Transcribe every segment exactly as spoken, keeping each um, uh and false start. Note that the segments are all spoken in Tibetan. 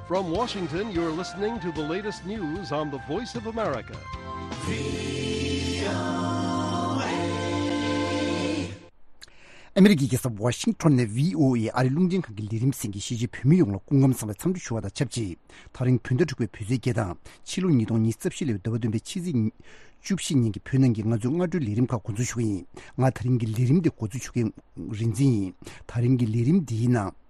From Washington, you're listening to the latest news on the Voice of America. ཨ་མི་རི་ཀའི་རྒྱལ་ས་ཝ་ཤིང་ཊོན་ནས་བྷི་ཨོ་ཨེ་ཨ་རིའི་རླུང་འཕྲིན་ཁང་གི་ལས་རིམ་གསན་མཁན་གཞིས་བྱེས་བོད་མི་ཡོངས་ལ་སྐུ་ཁམས་བཟང་བའི་འཚམས་འདྲི་ཞུ་བ་དང་ཆབས་ཅིག་ད་རིང་བོད་ཟླ་དྲུག་པའི་བོད་ཚེས་བརྒྱད་དང་ཕྱི་ལོ་ཉིས་སྟོང་ཉི་ཤུ་རྩ་བཞི་ལོའི་ཟླ་བ་བདུན་པའི་ཕྱི་ཚེས་བཅུ་བཞི་ཉིན་གྱི་བོད་ནང་གི་ང་ཚོའི་སྔ་དྲོའི་ལས་རིམ་ཁག་འགོ་འཛུགས་ཞུ་གི་ཡིན། ང་ད་རིང་གི་ལས་རིམ་འདི་འགོ་འཛུགས་ཞུ་མཁན་རིག་འཛིན་ཡིན། ད་རིང་གི་ལས་རིམ་འདིའི་ནང་།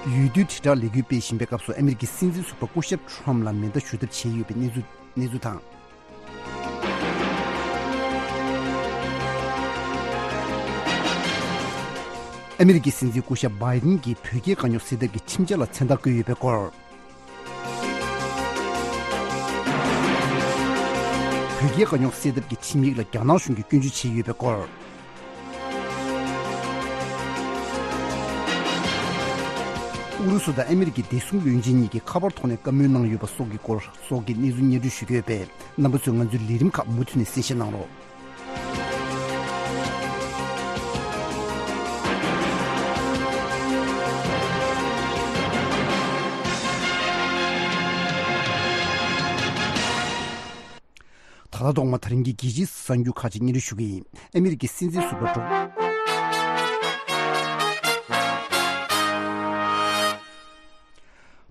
འོས་བསྡུའི་དྲིལ་བསྒྲགས་ལས་འགུལ་སྤེལ་བཞིན་པའི་སྐབས་སུ་ཨ་མི་རི་ཀའི་སྲིད་འཛིན་ཟུར་པ་སྐུ་ཞབས་ཁྲོམ་ལ་མེ་མདའ་གཞུ་ཐབས་བྱས་ཡོད་པའི་གནས་ཚུལ་གནས་ཚུལ་དང་། ཨ་མི་རི་ཀའི་སྲིད་འཛིན་སྐུ་ཞབས་བྷའི་ཏིན་གྱིས་བོད་རྒྱའི་དཀའ་རྙོག་སེལ་ཐབས་ཀྱི་ཁྲིམས་འཆར་ལ་མཚན་རྟགས་བཀོད་ཡོད་པའི་སྐོར། བོད་རྒྱའི་དཀའ་རྙོག་སེལ་ཐབས་ཀྱི་ཁྲིམས་ཡིག་ལ་རྒྱ་ནག་གཞུང་གིས་སྐྱོན་བརྗོད་བྱས་ཡོད་པའི་སྐོར། ཨུ་རུ་སུ་དང་ཨ་མི་རི་ཀའི་བདེ་སྲུང་བློན་ཆེན་གཉིས་ཀྱིས་ཁ་པར་ཐོག་ནས་བཀའ་མོལ་གནང་ཡོད་པ་སོགས་ཀྱི་སྐོར་སོགས་ཀྱི་གནས་ཚུལ་སྙན་སྒྲོན་ཞུ་གི་ཡོད་པས། རྣམ་པ་ཚོས་ང་ཚོའི་ལས་རིམ་ཁག་མུ་མཐུད་ནས་གསན་བཞེས་གནང་རོགས། ད་ལྟ་ཐོག་མ་ད་རིང་གི་རྒྱལ་སྤྱིའི་གསར་འགྱུར་ཁག་ཅིག་སྙན་སྒྲོན་ཞུ་གི་ཡིན། ཨ་མི་རི་ཀའི་སྲིད་འཛིན་ཟུར་པ་ཌོ།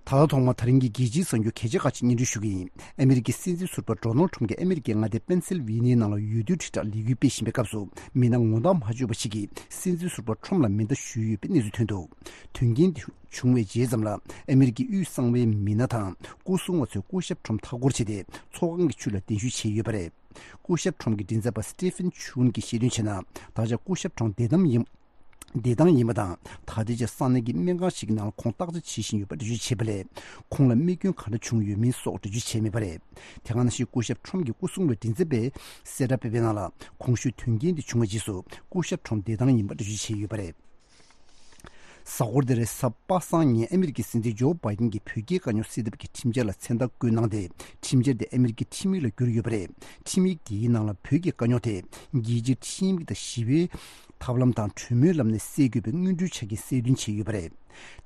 ད་ལྟ་ཐོག་མ་ད་རིང་གི་རྒྱལ་སྤྱིའི་གསར་འགྱུར་གལ་ཆེ་ཁག་ཅིག་སྙན་སྒྲོན་ཞུ་གི་ཡིན། ཨ་མི་རི་ཀའི་སྲིད་འཛིན་ཟུར་པ་ཌོ་ནལ་ཊམ་གྱིས་ཨ་མི་རི་ཀའི་མངའ་སྡེ་པེན་སིལ་ཝེ་ནི་ཡའི་ནང་ལ་འོས་བསྡུའི་དྲིལ་བསྒྲགས་ལས་འགུལ་སྤེལ་བཞིན་པའི་སྐབས་སུ། མི་སྣ་ངོ་མཚར་མ་བཅོས་པ་ཞིག་གིས་སྲིད་འཛིན་ཟུར་པ་ཊམ་ལ་མེ་མདའ་གཞུས་ཡོད་པའི་གནས་ཚུལ་ཐོན་འདུག་དོན་རྐྱེན་འདི་བྱུང་བའི་རྗེས་ཙམ་ལ་ཨ་མི་རི་ཀའི་དབུས་གསང་བའི་མི་སྣ་དང་སྐུ་སྲུང་བ་ཚོས་སྐུ་ཞབས་ཊམ་མཐའ་སྐོར་བྱས་ཏེ་ཚོགས་ཁང་གི་ཕྱི་ལ་གདན་ཞུ་བྱས་ཡོད་པ་རེད། སྐུ་ཞབས་ཊམ་གྱི་མགྲིན་ཚབ་པ་སི་ཊི་ཕན་ཆུན་གྱིས་ཤེས་འདོན་བྱས་ན། ད་ཆ་སྐུ་ཞབས་ཊམ་བདེ་ཐང་ཡིན། བདེ་ཐང་ཡིན་པ་དང་། ད་ལྟའི་ཆར་ས་གནས་ཀྱི་སྨན་ཁང་ཞིག་གི་ནང་ལ་ཁོང་བརྟག་དཔྱད་བྱེད་བཞིན་ཡོད་པ་འགྲེལ་བརྗོད་བྱས་པ་ལས། ཁོང་ལ་རྨས་སྐྱོན་ག་འདྲ་བྱུང་ཡོད་མིན་སོགས་འགྲེལ་བརྗོད་བྱས་མེད་པ་རེད། དེ་ག་ནང་བཞིན་སྐུ་ཞབས་ཊམ་གྱི་སྐུ་སྲུང་བའི་མགྲིན་ཚབ་པས་གསལ་བསྒྲགས་སྤེལ་བའི་ནང་ལ། གོང་ཞུས་དོན་རྐྱེན་འདི་བྱུང་བའི་རྗེས་སུ་སྐུ་ཞབས་ཊམ་བདེ་ཐང་ཡིན་པ་འགྲེལ་བརྗོད་བྱས་ཡོད་པ་རེད། གཟའ་འཁོར་འདིར་གཟའ་པ་སངས་ཉིན་ཨ་མི་རི་ཀའི་སྲིད་འཛིན་ཇོ་བྷའི་ཏིན་གྱིས་བོད་རྒྱའི་དཀའ་རྙོག་སེལ་ཐབས་ཀྱི་ཁྲིམས་འཆར་ལ་མཚན་རྟགས་བཀོད་གནང་སྟེ། ཁྲིམས་འཆར་དེ་ཨ་མི་རི་ཀའི་ཁྲིམས་ཡིག་ལ་བསྒྱུར་ཡོད་པ་རེད། ཁྲིམས་ཡིག་དེའི་ནང་ལ་བོད་ཀྱི་དཀའ་རྙོག་དེ་རྒྱལ་སྤྱིའི་ཁྲིམས་ཡིག་དང་ཞི་བའི་ཐབས་ལམ་དང་གྲོས་མོལ་ལམ་ནས་སེལ་དགོས་པའི་སྔོན་འགྲོའི་ཆ་རྐྱེན་གསལ་སྟོན་བྱས་ཡོད་པ་རེད།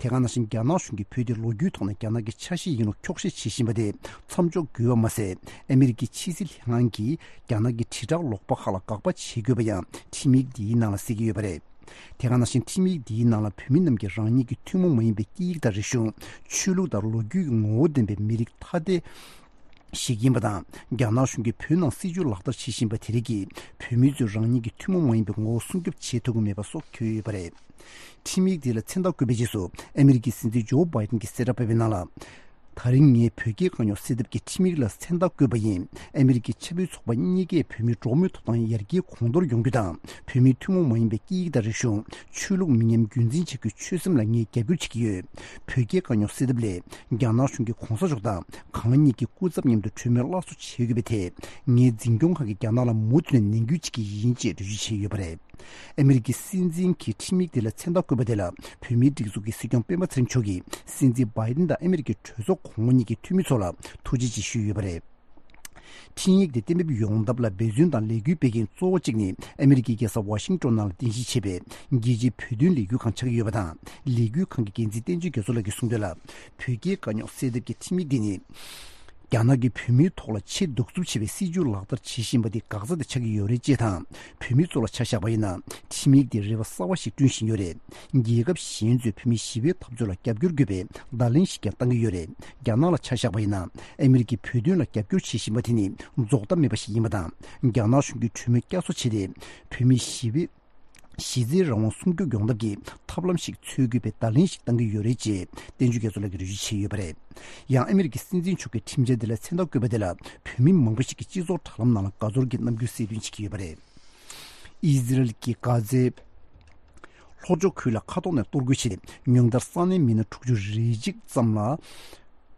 དེ་ག་ནང་བཞིན་རྒྱ་ནག་གཞུང་གིས་བོད་དེ་ལོ་རྒྱུས་ཐོག་ནས་རྒྱ་ནག་གི་ཆ་ཤས་ཡིན་ལུགས་འཁྱོག་བཤད་བྱེད་བཞིན་པ་དེ་མཚམས་འཇོག་དགོས་པ་མ་ཟད། ཨ་མི་རི་ཀའི་ཕྱི་སྲིད་ལྷན་ཁང་གིས་རྒྱ་ནག་གི་དྲིལ་བསྒྲགས་ལོག་པ་ཁག་ལ་དགག་པ་བྱེད་དགོས་པ་ཡང་ཁྲིམས་ཡིག་འདིའི་ནང་ལ་གསལ་གྱི་ཡོད་པ་རེད། དེ་ག་ནང་བཞིན་ཁྲིམས་ཡིག་འདིའི་ནང་ལ་བོད་མི་རྣམས་ཀྱིས་རང་ཉིད་ཀྱི་ཐུན་མོང་མ་ཡིན་པའི་སྐད་ཡིག་དང་རིག་གཞུང་། ཆོས་ལུགས་དང་ལོ་རྒྱུས་ཀྱི་ངོ་བོ་ལྡན་པའི་མི་རིགས་ཐ་དད་ཞིག་ཡིན་པ་དང་། རྒྱ་ནག་གཞུང་གིས་བོད་ནང་སྲིད་བྱུས་ལག་བསྟར་བྱེད་བཞིན་པ་དེ་རིགས་ཀྱིས་བོད་མི་ཚོས་རང་ཉིད་ཀྱི་ཐུན་མོང་མ་ཡིན་པའི་ངོ་བོ་སྲུང་སྐྱོབ་བྱེད་ཐུབ་ཀྱི་མེད་པ་སོགས་འཁོད་ཡོད་པ་རེད། ཁྲིམས་ཡིག་དེ་ལ་མཚན་རྟགས་བཀོད་པའི་རྗེས་སུ་ཨ་མི་རི་ཀའི་སྲིད་འཛིན་ཇོ་བྷའི་ཏིན་གྱིས་གསལ་བསྒྲགས་སྤེལ་བའི་ནང་ལ། ད་རིང་ངས་བོད་རྒྱའི་དཀའ་རྙོག་སེལ་ཐབས་ཀྱི་ཁྲིམས་ཡིག་ལ་མཚན་རྟགས་བཀོད་པ་ཡིན། ཨ་མི་རི་ཀའི་ཆབ་སྲིད་ཚོགས་པ་གཉིས་ཀས་བོད་མིའི་འགྲོ་བ་མིའི་ཐོབ་ཐང་ཡར་རྒྱས་གོང་མཐོར་ཡོང་རྒྱུ་དང་། བོད་མིའི་ཐུན་མོང་མ་ཡིན་པའི་སྐད་ཡིག་དང་རིག་གཞུང་། ཆོས་ལུགས་མི་ཉམས་རྒྱུན་འཛིན་བྱ་རྒྱུའི་ཆོད་སེམས་ལ་ངས་རྒྱབ་སྐྱོར་བྱེད་ཀྱི་ཡོད། བོད་རྒྱའི་དཀའ་རྙོག་སེལ་ཐབས་སླད། རྒྱ་ནག་གཞུང་གིས་གོང་ས་མཆོག་དང་གང་ཉིད་ཀྱི་སྐུ་ཚབ་མཉམ་དུ་གྲོས་མོལ་སླར་གསོ་བྱེད་དགོས་པའི་ཐད། ངས་འཛིན་སྐྱོང་ཁང་གིས་རྒྱ་ནག་ལ་མུ་མཐུད་ནས་ནན་སྐུལ་བྱེད་ཀྱི་ཡིན་ཅེས་འགྲེལ་བརྗོད་བྱས་ཡོད་པ་རེད། ཨ་མི་རི་ཀའི་སྲིད་འཛིན་གྱིས་ཁྲིམས་ཡིག་དེ་ལ་མཚན་རྟགས་བཀོད་པ་དེ་ལ་བོད་མིའི་སྒྲིག་འཛུགས་ཀྱི་སྲིད་སྐྱོང་སྤེན་པ་ཚེ་རིང་མཆོག་གིས་སྲིད་འཛིན་བྷའི་ཏིན་དང་ཨ་མི་རི་ཀའི་གྲོས་ཚོགས་གོང་འོག་གཉིས་ཀྱི་འཐུས་མི་ཚོ་ལ་ཐུགས་རྗེ་ཆེ་ཞུས་ཡོད་པ་རེད། འཕྲིན་ཡིག་དེ་གཏན་འབེབས་ཡོང་ཐབས་ལ་འབད་བརྩོན་དང་ལས་འགུལ་སྤེལ་མཁན་གཙོ་བོ་གཅིག་ནི་ཨ་མི་རི་ཀའི་རྒྱལ་ས་ཝ་ཤིང་ཏོན་ནང་ལ་རྟེན་གཞི་བྱས་པའི་རྒྱལ་སྤྱིའི་བོད་དོན་ལས་འགུལ་ཁང་ཆགས་ཀྱི་ཡོད་པ་དང་། ལས་འགུལ་ཁང་གི་འགན་འཛིན་བསྟན་ཆོས་རྒྱ་མཚོ་ལགས་ཀྱིས་གསུངས་དོན་ལ། བོད་རྒྱའི་དཀའ་རྙོག་སེལ་ཐབས་ཀྱི་ཁྲིམས་ཡིག་འདི་ནི། རྒྱ་ནག་གིས་བོད་མིའི་ཐོག་ལ་ཆེས་གདུག་རྩུབ་ཆེ་བའི་སྲིད་བྱུས་ལག་བསྟར་བྱེད་བཞིན་པ་འདི་འགག་རྩ་དེ་ཆགས་ཀྱི་ཡོད་རེད་ཅེས་དང་། བོད་མི་ཚོ་ལ་ཆ་བཞག་པ་ཡིན་ན། ཁྲིམས་ཡིག་འདིས་རེ་བ་གསར་བ་ཞིག་བསྐྲུན་བཞིན་ཡོད་རེད། རྒྱལ་ཁབ་གཞན་ཚོས་བོད་མིའི་ཞི་བའི་འཐབ་རྩོད་ལ་རྒྱབ་སྐྱོར་དགོས་པའི་བརྡ་ལན་ཞིག་ཀྱང་བཏང་གི་ཡོད་རེད། རྒྱ་ནག་ལ་ཆ་བཞག་པ་ཡིན་ན། ཨ་མི་རི་ཀས་བོད་དོན་ལ་རྒྱབ་སྐྱོར་བྱེད་བཞིན་པ་དེ་ནི་རྫོགས་མཐའ་མེད་པ་ཞིག་ཡིན་པ་དང་། རྒྱ་ནག་གཞུང་གིས་གྲོས་མོལ་བསྐྱར་གསོ་བྱས་ཏེ། བོད་མིའི་ཞི་བའི་གཞི་རྩའི་རང་དབང་སྲུང་སྐྱོབ་ཡོང་ཐབས་ཀྱི་ཐབས་ལམ་ཞིག་འཚོལ་དགོས་པའི་བརྡ་ལན་ཞིག་བཏང་གི་ཡོད་རེད་ཅེས་བསྟན་ཆོས་རྒྱ་མཚོ་ལགས་ཀྱིས་འགྲེལ་བརྗོད་བྱས་ཡོད་པ་རེད། ཡང་ཨ་མི་རི་ཀའི་སྲིད་འཛིན་མཆོག་གིས་ཁྲིམས་འཆར་འདི་ལ་མཚན་རྟགས་བཀོད་པ་དེ་ལ་བོད་མི་མང་པོ་ཞིག་གིས་སྤྱི་ཚོགས་དྲ་ལམ་ནང་ལ་དགའ་ཚོར་གྱི་རྣམ་འགྱུར་གསལ་སྟོན་བྱེད་ཀྱི་ཡོད་པ་རེད། ཨི་ཟི་རལ་གྱིས་གྷ་ཛའི་ལྷོ་ཕྱོགས་ཁུལ་ལ་མཁའ་ཐོག་ནས་གཏོར་རྒོལ་བྱས་ཏེ། ཉུང་མཐར་ས་གནས་མི་སྣ་དྲུག་ཅུ་རེ་གཅིག་ཙམ་ལ།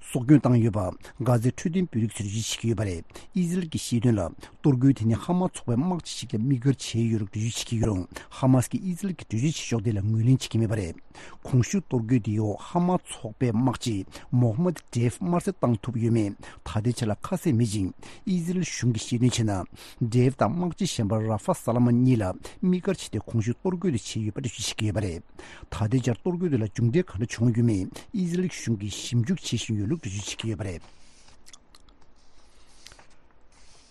སྲོག་སྐྱོན་བཏང་ཡོད་པ། གྷ་ཛའི་འཕྲོད་བསྟེན་བོད་རིགས་ཚོས་འགྲེལ་བརྗོད་བྱེད་ཀྱི་ཡོད་པ་རེད། ཨི་ཟི་རལ་གྱིས་བཤད་དོན་ལ། གཏོར་རྒོལ་དེ་ནི་ཧ་མ་ཚོགས་པའི་དམག་སྤྱི་ཞིག་ལ་དམིགས་བཀར་བྱས་ཡོད་ལུགས་འགྲེལ་བརྗོད་བྱེད་ཀྱི་ཡོད་རུང་། ཧ་མ་སི་ཀྱིས་ཨི་ཟི་རལ་གྱི་འགྲེལ་བརྗོད་བྱེད་ཕྱོགས་དེ་ལ་ངོས་ལེན་བྱེད་ཀྱི་མེད་པ་རེད། གོང་ཞུས་གཏོར་རྒོལ་དེའི་འོག་ཧ་མ་ཚོགས་པའི་དམག་སྤྱི་མོ་ཧ་མད་ཌེབ་དམར་གསོད་བཏང་ཐུབ་ཡོད་མེད་ད་ལྟའི་ཆར་ལ་ཁ་གསལ་མེད་ཅིང་། ཨི་ཟི་རལ་གཞུང་གིས་བཤད་དོན་བྱས་ན། ཌེབ་དང་དམག་སྤྱི་གཞན་པ་ར་ཧྥ་ས་ལ་མ་གཉིས་ལ་དམིགས་བཀར་བྱས་ཏེ་གོང་ཞུས་གཏོར་རྒོལ་དེ་བྱས་ཡོད་པ་འགྲེལ་བརྗོད་བྱེད་ཀྱི་ཡོད་པ་རེད། ད་ལྟའི་ཆར་གཏོར་རྒོལ་དེ་ལ་མཇུག་འབྲས་ག་འདྲ་བྱུང་ཡོད་མེད་ཨི་ཟི་རལ་གཞུང་གིས་ཞིབ་འཇུག་བྱེད་བཞིན་ཡོད་ལུགས་འགྲེལ་བརྗོད་བྱེད་ཀྱི་ཡོད་པ་རེད།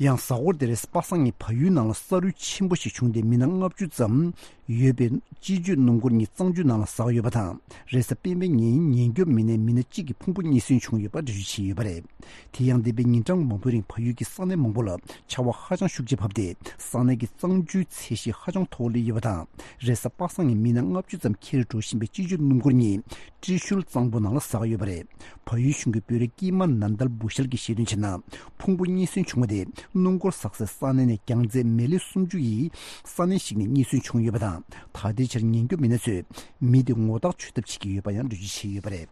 ཡང་གཟའ་འཁོར་འདིར་པ་སངས་ཀྱི་བལ་ཡུལ་ནང་ལ་ས་རུད་ཆེན་པོ་ཞིག་བྱུང་སྟེ་མི་སྣ་ལྔ་བཅུ་ཙམ་ཡོད་པའི་སྤྱི་སྤྱོད་སྣུམ་འཁོར་གཉིས་གཙང་ཆུ་ནང་ལ་ཟགས་ཡོད་པ་དང་། རེས་གཟའ་སྤེན་པའི་ཉིན་ཉེན་སྐྱོབ་མི་སྣས་མི་སྣ་གཅིག་གི་ཕུང་པོ་རྙེད་སོན་བྱུང་ཡོད་པ་འགྲེལ་བརྗོད་བྱས་ཡོད་པ་རེད། དེ་ཡང་འདས་པའི་ཉིན་གྲངས་མང་པོའི་རིང་བལ་ཡུལ་གྱི་ས་གནས་མང་པོ་ལ་ཆར་བ་ཧ་ཅང་ཤུགས་ཆེ་བབས་ཏེ་ས་གནས་ཀྱི་གཙང་ཆུའི་ཚད་གཞི་ཧ་ཅང་མཐོ་བོར་སླེབས་ཡོད་པ་དང་། རེས་གཟའ་པ་སངས་ཀྱི་མི་སྣ་ལྔ་བཅུ་ཙམ་འཁྱེར་འགྲོ་བཞིན་པའི་སྤྱི་སྤྱོད་སྣུམ་འཁོར་གཉིས་ཏྲི་ཤུལ་གཙང་པོ་ནང་ལ་ཟགས་ཡོད་པ་རེད། བལ་ཡུལ་གཞུང་གི་དཔོན་རིགས་ཀྱི་མ་ནན་དལ་བུ་ཤལ་གྱིས་བཤད་དོན་བྱས་ན། ཕུང་པོ་རྙེད་སོན་བྱུང་བ་དེ་སྣུམ་འཁོར་ཟགས་སའི་ས་གནས་ནས་རྒྱང་ཚད་མེ་ལེ་སུམ་ཅུ་ཡི་ས་གནས་ཤིག་ནས་རྙེད་སོན་བྱུང་ཡོད་པ་དང་། ད་ལྟའི་ཆར་ཉེན་སྐྱོབ་མི་སྣ་ཚོས་མི་དེ་ངོ་རྟགས་འཚོལ་ཐབས་བྱེད་ཀྱི་ཡོད་པ་ཡང་འགྲེལ་བརྗོད་བྱས་ཡོད་པ་རེད།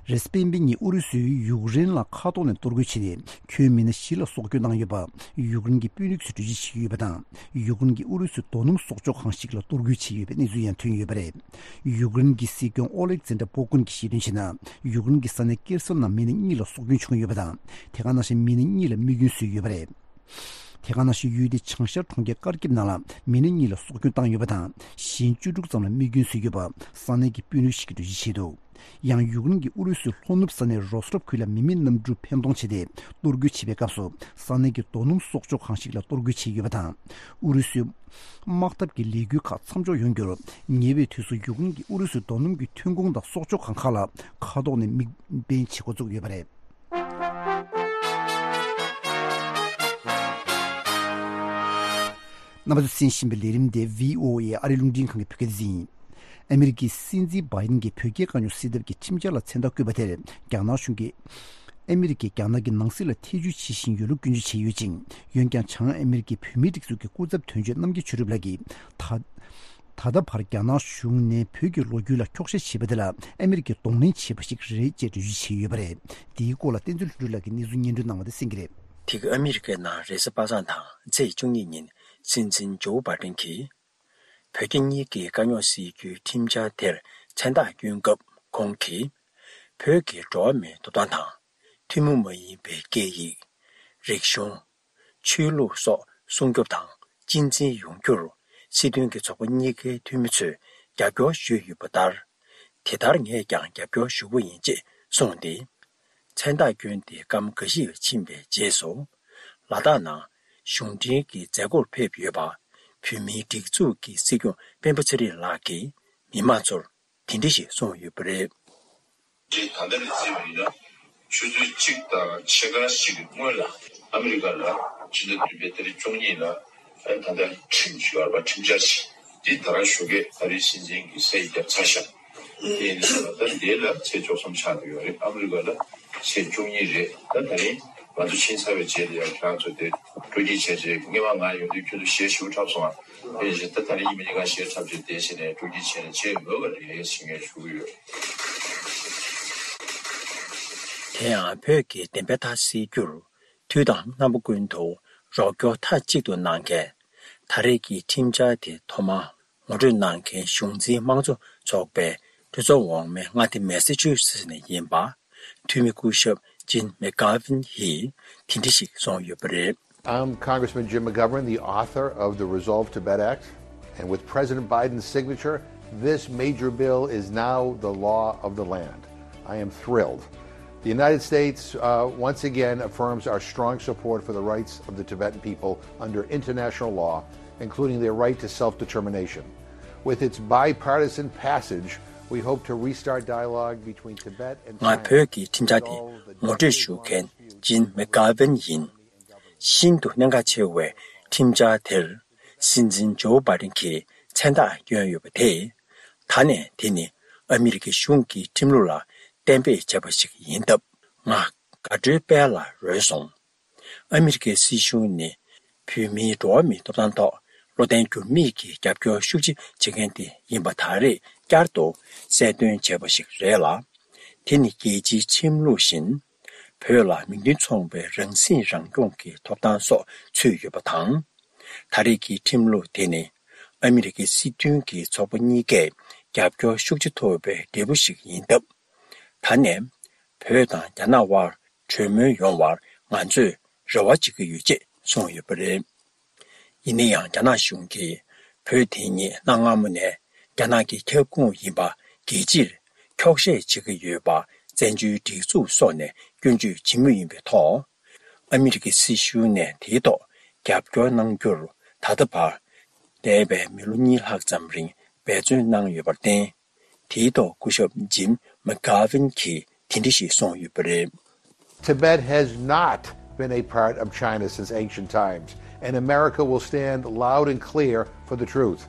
རེས་གཟའ་སྤེན་པའི་ཉིན་ཨུ་རུ་སུས་ཡུཀ་རེན་ལ་མཁའ་ཐོག་ནས་གཏོར་རྒོལ་བྱས་ཏེ་ཁྱོན་མི་སྣ་བཞི་ལ་སྲོག་སྐྱོན་བཏང་ཡོད་པ་ཡུཀ་རེན་གྱི་དཔོན་རིགས་ཚོས་འགྲེལ་བརྗོད་བྱས་ཡོད་པ་དང་། ཡུཀ་རེན་གྱིས་ཨུ་རུ་སུའི་རྡོ་སྣུམ་གསོག་འཇོག་ཁང་ཞིག་ལ་གཏོར་རྒོལ་བྱས་ཡོད་པའི་གནས་ཚུལ་ཡང་ཐོན་ཡོད་པ་རེད། ཡུཀ་རེན་གྱི་སྲིད་སྐྱོང་ཨོ་ལེག་ཛན་ཏྲ་པོ་ཀུན་གྱིས་བཤད་དོན་བྱས་ན། ཡུཀ་རེན་གྱི་ས་གནས་ཀེར་སོན་ནང་མི་སྣ་གཉིས་ལ་སྲོག་སྐྱོན་བྱུང་ཡོད་པ་དང་། དེ་ག་ནང་བཞིན་མི་སྣ་གཉིས་ལ་རྨས་སྐྱོན་བཟོས་ཡོད་པ་རེད། དེ་ག་ནང་བཞིན་ཡུལ་དེའི་བྱང་ཤར་གྲོང་ཁྱེར་ཀར་ཀིབ་ནང་ལ་མི་སྣ་གཉིས་ལ་སྲོག་སྐྱོན་བཏང་ཡོད་པ་དང་། གཞན་བཅུ་དྲུག་ཙམ་ལ་རྨས་སྐྱོན་བཟོས་ཡོད་པ་ས་གནས་ཀྱི་དཔོན་རིགས་ཤིག་གིས་འགྲེལ་བརྗོད་བྱས་འདུག་ཡང་ཡུཀ་རེན་གྱིས་ཨུ་རུ་སུའི་ལྷོ་ནུབ་ས་གནས་རོ་སི་ཊོབ་ཁུལ་ལ་མི་མེད་གནམ་གྲུ་འཕེན་གཏོང་བྱས་ཏེ་གཏོར་རྒོལ་བྱས་པའི་སྐབས་སུ་ས་གནས་ཀྱི་རྡོ་སྣུམ་གསོག་འཇོག་ཁང་ཞིག་ལ་གཏོར་རྒོལ་བྱས་ཡོད་པ་དང་། ཨུ་རུ་སུའི་དམག་འཐབ་ཀྱི་ལས་འགུལ་ཁག་མཚམས་འཇོག་ཡོང་རྒྱུར་ཉེ་བའི་དུས་སུ་ཡུཀ་རེན་གྱིས་ཨུ་རུ་སུའི་རྡོ་སྣུམ་གྱི་ཐོན་ཁུངས་དང་གསོག་འཇོག་ཁང་ཁག་ལ་མཁའ་ཐོག་ནས་དམིགས་འབེན་བྱེད་འགོ་བཙུགས་ཡོད་པ་རེད། རྣམ་པ་ཚོས་གསན་བཞིན་པའི་ལས་རིམ་དེ་བྷི་ཨོ་ཨེ་ཨ་རིའི་རླུང་འཕྲིན་ཁང་གི་བོད་སྐད་སྡེ་ཚན་ཡིན། ཨ་མི་རི་ཀའི་སྲིད་འཛིན་བྷའི་ཌེན་གྱིས་བོད་རྒྱའི་དཀའ་རྙོག་སེལ་ཐབས་ཀྱི་ཁྲིམས་འཆར་ལ་མཚན་རྟགས་བཀོད་པ་དེར་རྒྱ་ནག་གཞུང་གིས་ཨ་མི་རི་ཀས་རྒྱ་ནག་གི་ནང་སྲིད་ལ་ཐེ་བྱུས་བྱེད་བཞིན་ཡོད་ལུགས་སྐྱོན་བརྗོད་བྱས་ཡོད་ཅིང་། འོན་ཀྱང་བྱང་ཨ་མི་རི་ཀའི་བོད་མིའི་སྒྲིག་འཛུགས་ཀྱི་སྐུ་ཚབ་དོན་གཅོད་རྣམ་རྒྱལ་ཆོས་གྲུབ་ལགས་ཀྱིས་ད། ད་ལྟ་བར་རྒྱ་ནག་གཞུང་ནས་བོད་ཀྱི་ལོ་རྒྱུས་ལ་འཁྱོག་བཤད་བྱས་པ་དེ་ལ་ཨ་མི་རི་ཀས་གདོང་ལེན་བྱས་པ་ཞིག་རེད་ཅེས་འགྲེལ་བརྗོད་བྱས་ཡོད་པ་རེད། འདིའི་སྐོར་ལ་བསྟན་འཛིན་ལྷུན་གྲུབ་ལགས་ཀྱིས་གནས་ཚུལ་སྙན་སྒྲོན་གནང་བ་དེ་གསན་གྱི་རེད། དེ་ག་ཨ་མི་རི་ཀའི་ནང་རེས་གཟའ་པ་སངས་དང་ཚེས་བཅུ་གཉིས་ཉིན་སྲིད་འཛིན་ཇོ་བྷའི་ཌེན་གྱིས་བོད་རྒྱ་གཉིས་ཀྱི་དཀའ་རྙོག་སེལ་རྒྱུའི་ཁྲིམས་འཆར་དེར་མཚན་རྟགས་བསྐྱོན་སྐབས་ཁོང་གིས། བོད་ཀྱི་འགྲོ་བ་མིའི་ཐོབ་ཐང་དང་། ཐུན་མོང་མ་ཡིན་པའི་སྐད་ཡིག་རིག་གཞུང་། ཆོས་ལུགས་སོགས་སྲུང་སྐྱོབ་དང་གཅེས་འཛིན་ཡོང་རྒྱུར་སྲིད་དོན་གྱི་ཚོགས་པ་གཉིས་ཀའི་འཐུས་མི་ཚོས་རྒྱབ་སྐྱོར་ཞུས་ཡོད་པ་ལྟར། དེ་ལྟར་ངས་ཀྱང་རྒྱབ་སྐྱོར་ཞུ་གི་ཡིན་ཅེས་གསུངས་ཏེ། མཚན་རྟགས་བསྐྱོན་ཏེ་སྐར་མ་འགའ་ཞིག་ཕྱིན་པའི་རྗེས་སུ། ལ་དྭགས་ནང་གཞུང་འབྲེལ་གྱི་མཛད་སྒོར་ཕེབས་ཡོད་པ། བོད་མིའི་སྒྲིག་འཛུགས་ཀྱི་སྲིད་སྐྱོང་སྤེན་པ་ཚེ་རིང་ལགས་ཀྱིས་མི་མང་ཚོར་དེ་འདྲ་ཞིག་གསུངས་ཡོད་པ་རེད། ད་ལྟ་ནས་བརྩིས་པ་ཡིན་ན། ཆུ་ཚོད་གཅིག་དང་ཕྱེད་ཀ་ཞིག་གི་སྔོན་ལ་ཨ་མི་རི་ཀ་ལ་ཕྱི་ཟླ་བདུན་པའི་ཏ་རིག་བཅུ་གཉིས་ལ་ད་ལྟ་ཁྲིམས་ཞུ་བར་པ་ཁྲིམས་འཆར་ཞིག་འདི་ད་རང་ཞོགས་ཀས་ཨ་རིའི་སྲིད་འཛིན་གྱིས་ས་ཡིག་བརྒྱབ་ཚར་ཤག་དེ་ཡིན་ན་ད་ལྟ་འདི་ལ་ཚེས་བཅུ་གསུམ་ཆགས་བསྡད་ཡོད་རེད། ཨ་མི་རི་ཀ་ལ་ཚེས་བཅུ་གཉིས་རེད། ད་ད་རིང་ང་ཚོ་ཕྱིན་ཚར་བའི་རྗེས་ལ་ཡང་ཁྱེད་རང་ཚོ་དེ་སྤྲོ་སྐྱིད་བྱས་རྗེས་སྔོན་མ་ང་ཡོང་དུས་ཁྱོད་ཚོ་ཞེ་ཞེ་པོ་འཁྲབ་སོང་ཨ། དེ་བཞིན་ད་ད་རིང་ཡིན་མིན་ནི་ང་ཞེ་འཁྲབ་རྗེས་དེ་བཞིན་ནས་སྤྲོ་སྐྱིད་བྱས་ནས་བྱས་ཡོད་པ་རེད་ཞེས་ངས་ཞུ་གི་ཡོད། དེ་ཡང་བོད་ཀྱི་བདེན་པའི་མཐའ་གསལ་རྒྱུར། དུས་དང་རྣམ་པ་ཀུན་ཏུ་རོགས་སྐྱོར་མཐའ་གཅིག་ཏུ་གནང་མཁན། ད་རེས་ཀྱི་ཁྲིམས་འཆར་དེ་ཐོག་མར་ངོ་སྤྲོད་གནང་མཁན་གཞུང་འཛིན་དམངས་གཙོ་ཚོགས་པའི་གྲོས་ཚོགས་འོག་མའི་མངའ་སྡེ་མེ་སི་ཆུ་སེ་ཊི་ནས་ཡིན་པ། འཐུས་མི་སྐུ་ཞབས་ཇིན་མེག་གྷ་ཝིན་ཡིས་དེ་འདྲ་ཞིག་གསུངས་ཡོད་པ་རེད། I'm Congressman Jim McGovern, the author of the Resolve Tibet Act. And with President Biden's signature, this major bill is now the law of the land. I am thrilled. The United States, uh, once again affirms our strong support for the rights of the Tibetan people under international law, including their right to self-determination. With its bipartisan passage, we hope to restart dialogue between Tibet and China. ང་བོད་ཀྱི་ཁྲིམས་འཆར་དེ་ངོ་སྤྲོད་ཞུ་མཁན་ཇིན་མེག་གྷ་ཝིན་ཡིན། ཤིན་ཏུ་གནད་འགག་ཆེ་བའི་ཁྲིམས་འཆར་དེར། སྲིད་འཛིན་ཇོ་བྷའི་ཌེན་གྱིས་མཚན་རྟགས་བསྐྱོན་ཡོད་པ་དེས། ད་ནས་དེ་ནི་ཨ་མི་རི་ཀའི་གཞུང་གི་ཁྲིམས་ལུགས་ལ་གཏན་འབེབས་བྱས་པ་ཞིག་ཡིན་སྟབས། ང་དགའ་སྤྲོའི་དཔལ་ལ་རོལ་སོང་། ཨ་མི་རི་ཀའི་སྲིད་གཞུང་ནི་བོད་མིའི་འགྲོ་བ་མིའི་ཐོབ་ཐང་ཐོག་བློ་བརྟན་འགྱུར་མེད་ཀྱིས་རྒྱབ་སྐྱོར་ཤུགས་ཆེ་བྱེད་མཁན་དེ་ཡིན་པ་ད་རེས་བསྐྱར་དུ་གསལ་སྟོན་བྱས་པ་ཞིག་རེད་ལ། དེ་ནི་རྒྱལ་སྤྱིའི་ཁྲིམས་ལུགས་བཞིན། བོད་ལ་མིང་དོན་མཚུངས་པའི་རང་སྲིད་རང་སྐྱོང་གི་ཐོབ་ཐང་སོགས་ཚུད་ཡོད་པ་དང་། ད་རེས་ཀྱི་ཁྲིམས་ལུགས་དེ་ནི་ཨ་མི་རི་ཀའི་སྲིད་དོན་གྱི་ཚོགས་པ་གཉིས་ཀས་རྒྱབ་སྐྱོར་ཤུགས་ཆེ་ཐོབ་པའི་འབྲས་བུ་ཞིག་ཡིན་སྟབས། ད་ནས་བོད་དང་རྒྱ་ནག་དབར་གྲོས་མོལ་ཡོང་བར་ང་ཚོས་རེ་བ་བྱེད་ཀྱི་ཡོད་ཅེས་གསུངས་ཡོད་པ་རེད། ཡིན་ན་ཡང་རྒྱ་ནག་གཞུང་གིས་བོད་དེ་ཉིད་གནའ་སྔ་མོ་ནས་རྒྱ་ནག་གི་ཁྱབ་ཁོངས་ཡིན་པ་རྒྱལ་སྤྱིར་འཁྱོག་བཤད་བྱེད་ཀྱི་ཡོད་པ་བཙན་བྱོལ་སྒྲིག་འཛུགས་སོགས་ནས་སྐྱོན་བརྗོད་བྱེད་མུས་ཡིན་པའི་ཐོག་ཨ་མི་རི་ཀའི་སྲིད་གཞུང་ནས་དེའི་ཐོག་རྒྱབ་སྐྱོར་གནང་རྒྱུར་ད་ལྟ་བར་འདས་པའི་མི་ལོ་གཉིས་ལྷག་ཙམ་རིང་འབད་བརྩོན་གནང་ཡོད་པར་བརྟེན། དེའི་ཐོག་སྐུ་ཞབས་ཇིམ་མ་གྷ་ཝིན་གྱིས་དེ་འདྲ་ཞིག་གསུངས་ཡོད་པ་རེད། Tibet has not been a part of China since ancient times, and America will stand loud and clear for the truth.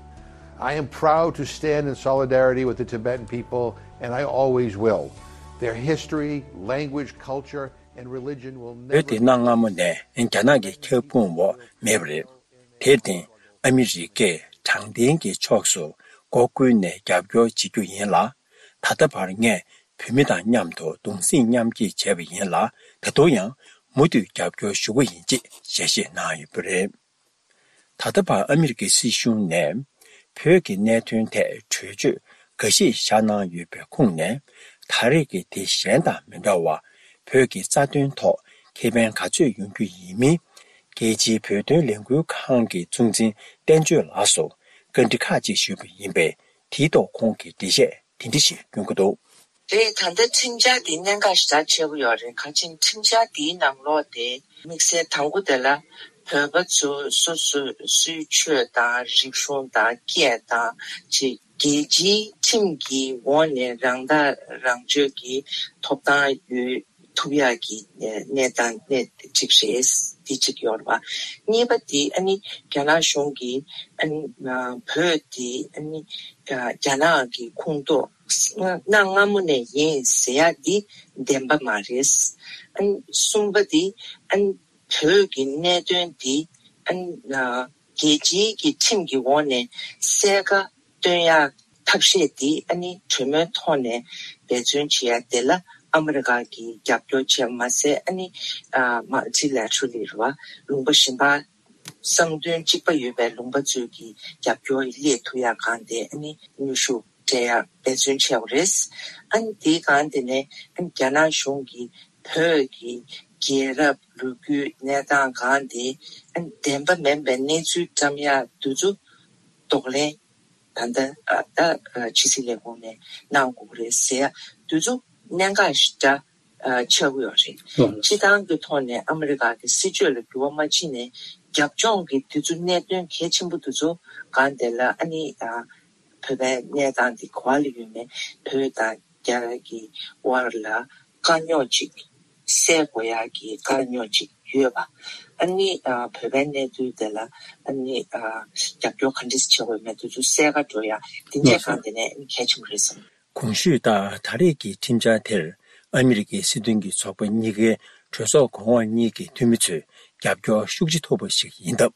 I am proud to stand in solidarity with the Tibetan people, and I always will. Their history, language, culture, and religion will never བོད་དེ་གནའ་སྔ་མོ་ནས་རྒྱ་ནག་གི་ཁྱབ་ཁོངས་འོག་མེད་པ་རེད། དེར་བརྟེན་ཨ་མི་རི་ཀས་དྲང་བདེན་གྱི་ཕྱོགས་སུ་སྒོ་ཀུན་ནས་རྒྱབ་སྐྱོར་བྱེད་རྒྱུ་ཡིན་ལ། ད་ལྟ་བར་ངས་བོད་མི་དང་མཉམ་དུ་གདུང་སེམས་མཉམ་སྐྱེད་བྱས་པ་ཡིན་ལ། ད་དུང་ཡང་མུ་མཐུད་རྒྱབ་སྐྱོར་ཞུ་གི་ཡིན་ཅེས་ཞལ་བཞེས་གནང་ཡོད་པ་རེད། ད་ལྟ་བར་ཨ་མི་རི་ཀའི་སྲིད་གཞུང་ནས་བོད་ཀྱི་གནད་དོན་ཐད་གྲོས་ཆོད་འགའ་ཤས་བཞག་གནང་ཡོད་པའི་ཁོངས་ནས། ད་རེས་ཀྱི་དེ་གཞན་དང་མི་འདྲ་བར་བོད་ཀྱི་རྩ་དོན་ཐོག་ཁེ་ཕན་ག་ཚོད་ཡོང་རྒྱུ་ཡིན་མིན། རྒྱལ་སྤྱིའི་བོད་དོན་ལས་འགུལ་ཁང་གི་གཙོ་འཛིན་བསྟན་ཆོས་ལགས་སུ་བཀའ་འདྲི་ཁག་ཅིག་ཞུས་པ་ཡིན་པས། དེའི་ཐོག་ཁོང་གིས་འགྲེལ་བཤད་དེ་འདྲ་ཞིག་སྐྱོན་གྱི་འདུག་རེད། ད་ལྟ་ཁྲིམས་འཆར་འདི་གནད་འགག་ཞེ་དྲག་ཆེ་པོ་ཡོད་རེད། གང་ཅི་ཁྲིམས་འཆར་འདིའི་ནང་ལོགས་དེ་དམིགས་བསལ་དང་པོ་དེ་ལ་བོད་པ་ཚོ་སོ་སོའི་སྲོལ་ཆོས་དང་རིག་གཞུང་དང་སྐད་དང་ཅིག་རྒྱལ་སྤྱིའི་ཁྲིམས་ཀྱི་འོག་ནས་རང་ཐག་རང་གཅོད་ཀྱི་ཐོབ་ཐང་ཡོད་ཐུབ་ཡག་གི་གནས་སྟངས་གནས་གཅིག་རེད། འདི་གཅིག་ཡོད་རེད་བ། གཉིས་པ་དེ་ཨ་ནི་རྒྱ་ནག་གཞུང་གིས་ཨ་ནི་བོད་དེ་ཨ་ནི་རྒྱ་ནག་གི་ཁོངས་གཏོགས་གནའ་སྔ་མོ་ནས་ཡིན་ཟེར་ཡག་འདི་བདེན་པ་མ་རེད། ཨ་ནི་གསུམ་པ་དེ་ཨ་ནི་བོད་ཀྱི་གནད་དོན་འདི་ཨ་ནི་རྒྱལ་སྤྱིའི་གི་ཁྲིམས་ཀྱི་འོག་ནས་གསལ་ཁ་སྟོན་ཡག་ཐབས་ཤེས་འདི་ཨ་ནི་གྲོས་མོལ་ཐོག་ནས་འབད་བརྩོན་བྱེད་ཡ་དེ་ལ་ཨ་མི་རི་ཀ་གིས་རྒྱབ་སྐྱོར་བྱས་མ་ཟད། ཨ་ནི་ཨ་མལ་ཊི་ལེ་ཊི་རལ་ལི་རེད་བ། ལུང་པ་གཞན་པ་བསམ་དོན་གཅིག་པ་ཡོད་པའི་ལུང་པ་ཚོས་ཀྱིས་རྒྱབ་སྐྱོར་སླེབས་ཐུབ་ཡ་གང་དེ་ཨ་ནི་ནུས་ཤུགས་སྤྲད་ཡ་འབད་བརྩོན་བྱས་པ་རེད། ཨ་ནི་དེའི་སྒང་དེ་ནས་ཨ་ནི་རྒྱ་ནག་གཞུང་གིས་བོད་ཀྱི་རྒྱལ་རབས་ལོ་རྒྱུས་གནས་སྟངས་གང་དེ་ཨ་ནི་བདེན་པ་མིན་པའི་གནས་ཚུལ་བཀྲམ་ཡ་དེ་ཚོ་གདོང་ལེན། ད་ལྟ་ཨ་ད་ཨ་ཕྱི་སྲིད་ལས་ཁུངས་ནས་གནང་དགོས་ཀྱི་རེད་ཟེར་ཡ་དེ་ཚོ་གནད་འགག་ཞེ་དྲག་ཨ་ཆགས་ཀྱི་ཡོད་རེད། ཨ་སྤྱི་བཏང་གི་ཐོག་ནས་ཨ་མི་རི་ཀ་གི་སྲིད་བྱུས་ལ་འགྱུར་བ་མ་ཕྱིན་ནས་རྒྱབ་ལྗོངས་ཀྱི་དེ་ཚོ་གནད་དོན་གལ་ཆེན་པོ་དེ་ཚོ་གང་དེ་ལ་ཨ་ནི་ཨ་བོད་པའི་གནས་སྟངས་དེ་ག་པར་ལ་ཡོད་མེད། བོད་དང་རྒྱ་གི་དབར་ལ་དཀའ་རྙོག་ཅིག་སེལ་དགོས་ཡག་གི་དཀའ་རྙོག་ཅིག་ཡོད་པ། ཨ་ནི་ཨ་བོད་པའི་གནས་ཚུལ་དེ་ལ་ཨ་ནི་ཨ་རྒྱབ་སྐྱོར་ག་འདྲས་བྱེད་དགོས་མེད་དེ་ཚོ་གསལ་ཁ་འགྲོ་ཡག་དེ་འདྲས་གང་དེ་ནས་ཨ་ནི་གལ་ཆེན་པོ་རེད་བསམ། གོང་ཞུས་ལྟར་ད་རེས་ཀྱི་ཁྲིམས་འཆར་དེར་ཨ་མི་རི་ཀའི་སྲིད་དོན་གྱི་ཚོགས་པ་གཉིས་ཀའི་གྲོས་ཚོགས་གོང་འོག་གཉིས་ཀྱི་འཐུས་མི་ཚོས་རྒྱབ་སྐྱོར་ཤུགས་ཆེ་ཐོབ་པ་ཞིག་ཡིན་སྟབས།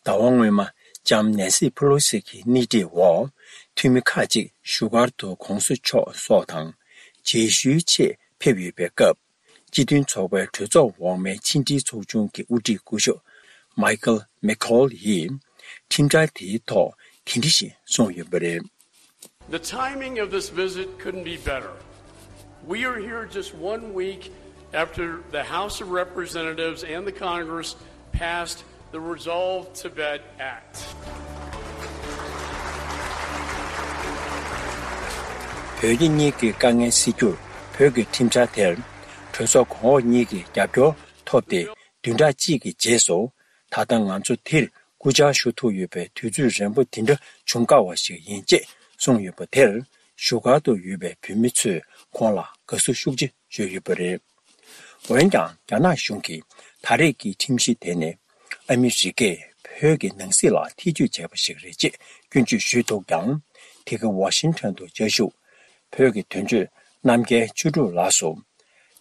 ཟླ་བ་སྔོན་མ་ལྕམ་ནེན་སི་ཕུ་ལོ་སི་གི་སྣེ་ཁྲིད་འོག་འཐུས་མི་ཁག་ཅིག་བཞུགས་སྒར་དུ་གོང་ས་མཆོག་སོགས་དང་རྗེས་ཤུལ་ཆེད་ཕེབས་ཡོད་པའི་སྐབས། སྤྱི་མཐུན་ཚོགས་པའི་གྲོས་ཚོགས་འོག་མའི་ཕྱི་འབྲེལ་ཚོགས་ཆུང་གི་དབུ་ཁྲིད་སྐུ་ཞབས་མའི་ཁལ་མེ་ཁོལ་ཡིས་ཁྲིམས་འཆར་དེའི་ཐོག་དེ་འདྲ་ཞིག་གསུངས་ཡོད་པ་རེད། The timing of this visit couldn't be better. We are here just one week after the House of Representatives and the Congress passed the Resolve Tibet Act. བོད་རྒྱ་གཉིས་ཀྱི་དཀའ་ངལ་སེལ་རྒྱུར་བོད་ཀྱི་ཁྲིམས་འཆར་དེར་གྲོས་ཚོགས་གོང་འོག་གཉིས་ཀྱི་རྒྱབ་སྐྱོར་ཐོབ་སྟེ། བདུན་ཕྲག་གཅིག་གི་རྗེས་སུ། ད་ལྟ་ང་ཚོ་འདིར་སྐུ་བཅར་ཞུ་ཐུབ་ཡོད་པའི་དུས་ཚོད་རན་པོ་འདི་འདྲ་བྱུང་དཀའ་བ་ཞིག་ཡིན་ཅེས་གསུངས་ཡོད་པ་དེར། བཞུགས་སྒར་དུ་ཡོད་པའི་བོད་མི་ཚོས་ཁོང་ལ་དགའ་བསུ་ཤུགས་ཆེ་ཞུས་ཡོད་པ་རེད། འོན་ཀྱང་། རྒྱ་ནག་གཞུང་གིས་ད་རེས་ཀྱི་ཁྲིམས་གཞི་དེ་ནི་ཨ་མི་རི་ཀས་བོད་ཀྱི་ནང་སྲིད་ལ་ཐེ་ཇུས་བྱས་པ་ཞིག་རེད་ཅེས་སྐྱོན་བརྗོད་ཞུས་འདུག་ཀྱང་། དེ་ག་ཝ་ཤིང་ཊོན་དུ་བཅའ་བཞུགས་བོད་ཀྱི་དོན་གཅོད་རྣམ་རྒྱལ་ཆོས་གྲུབ་ལགས་སུ།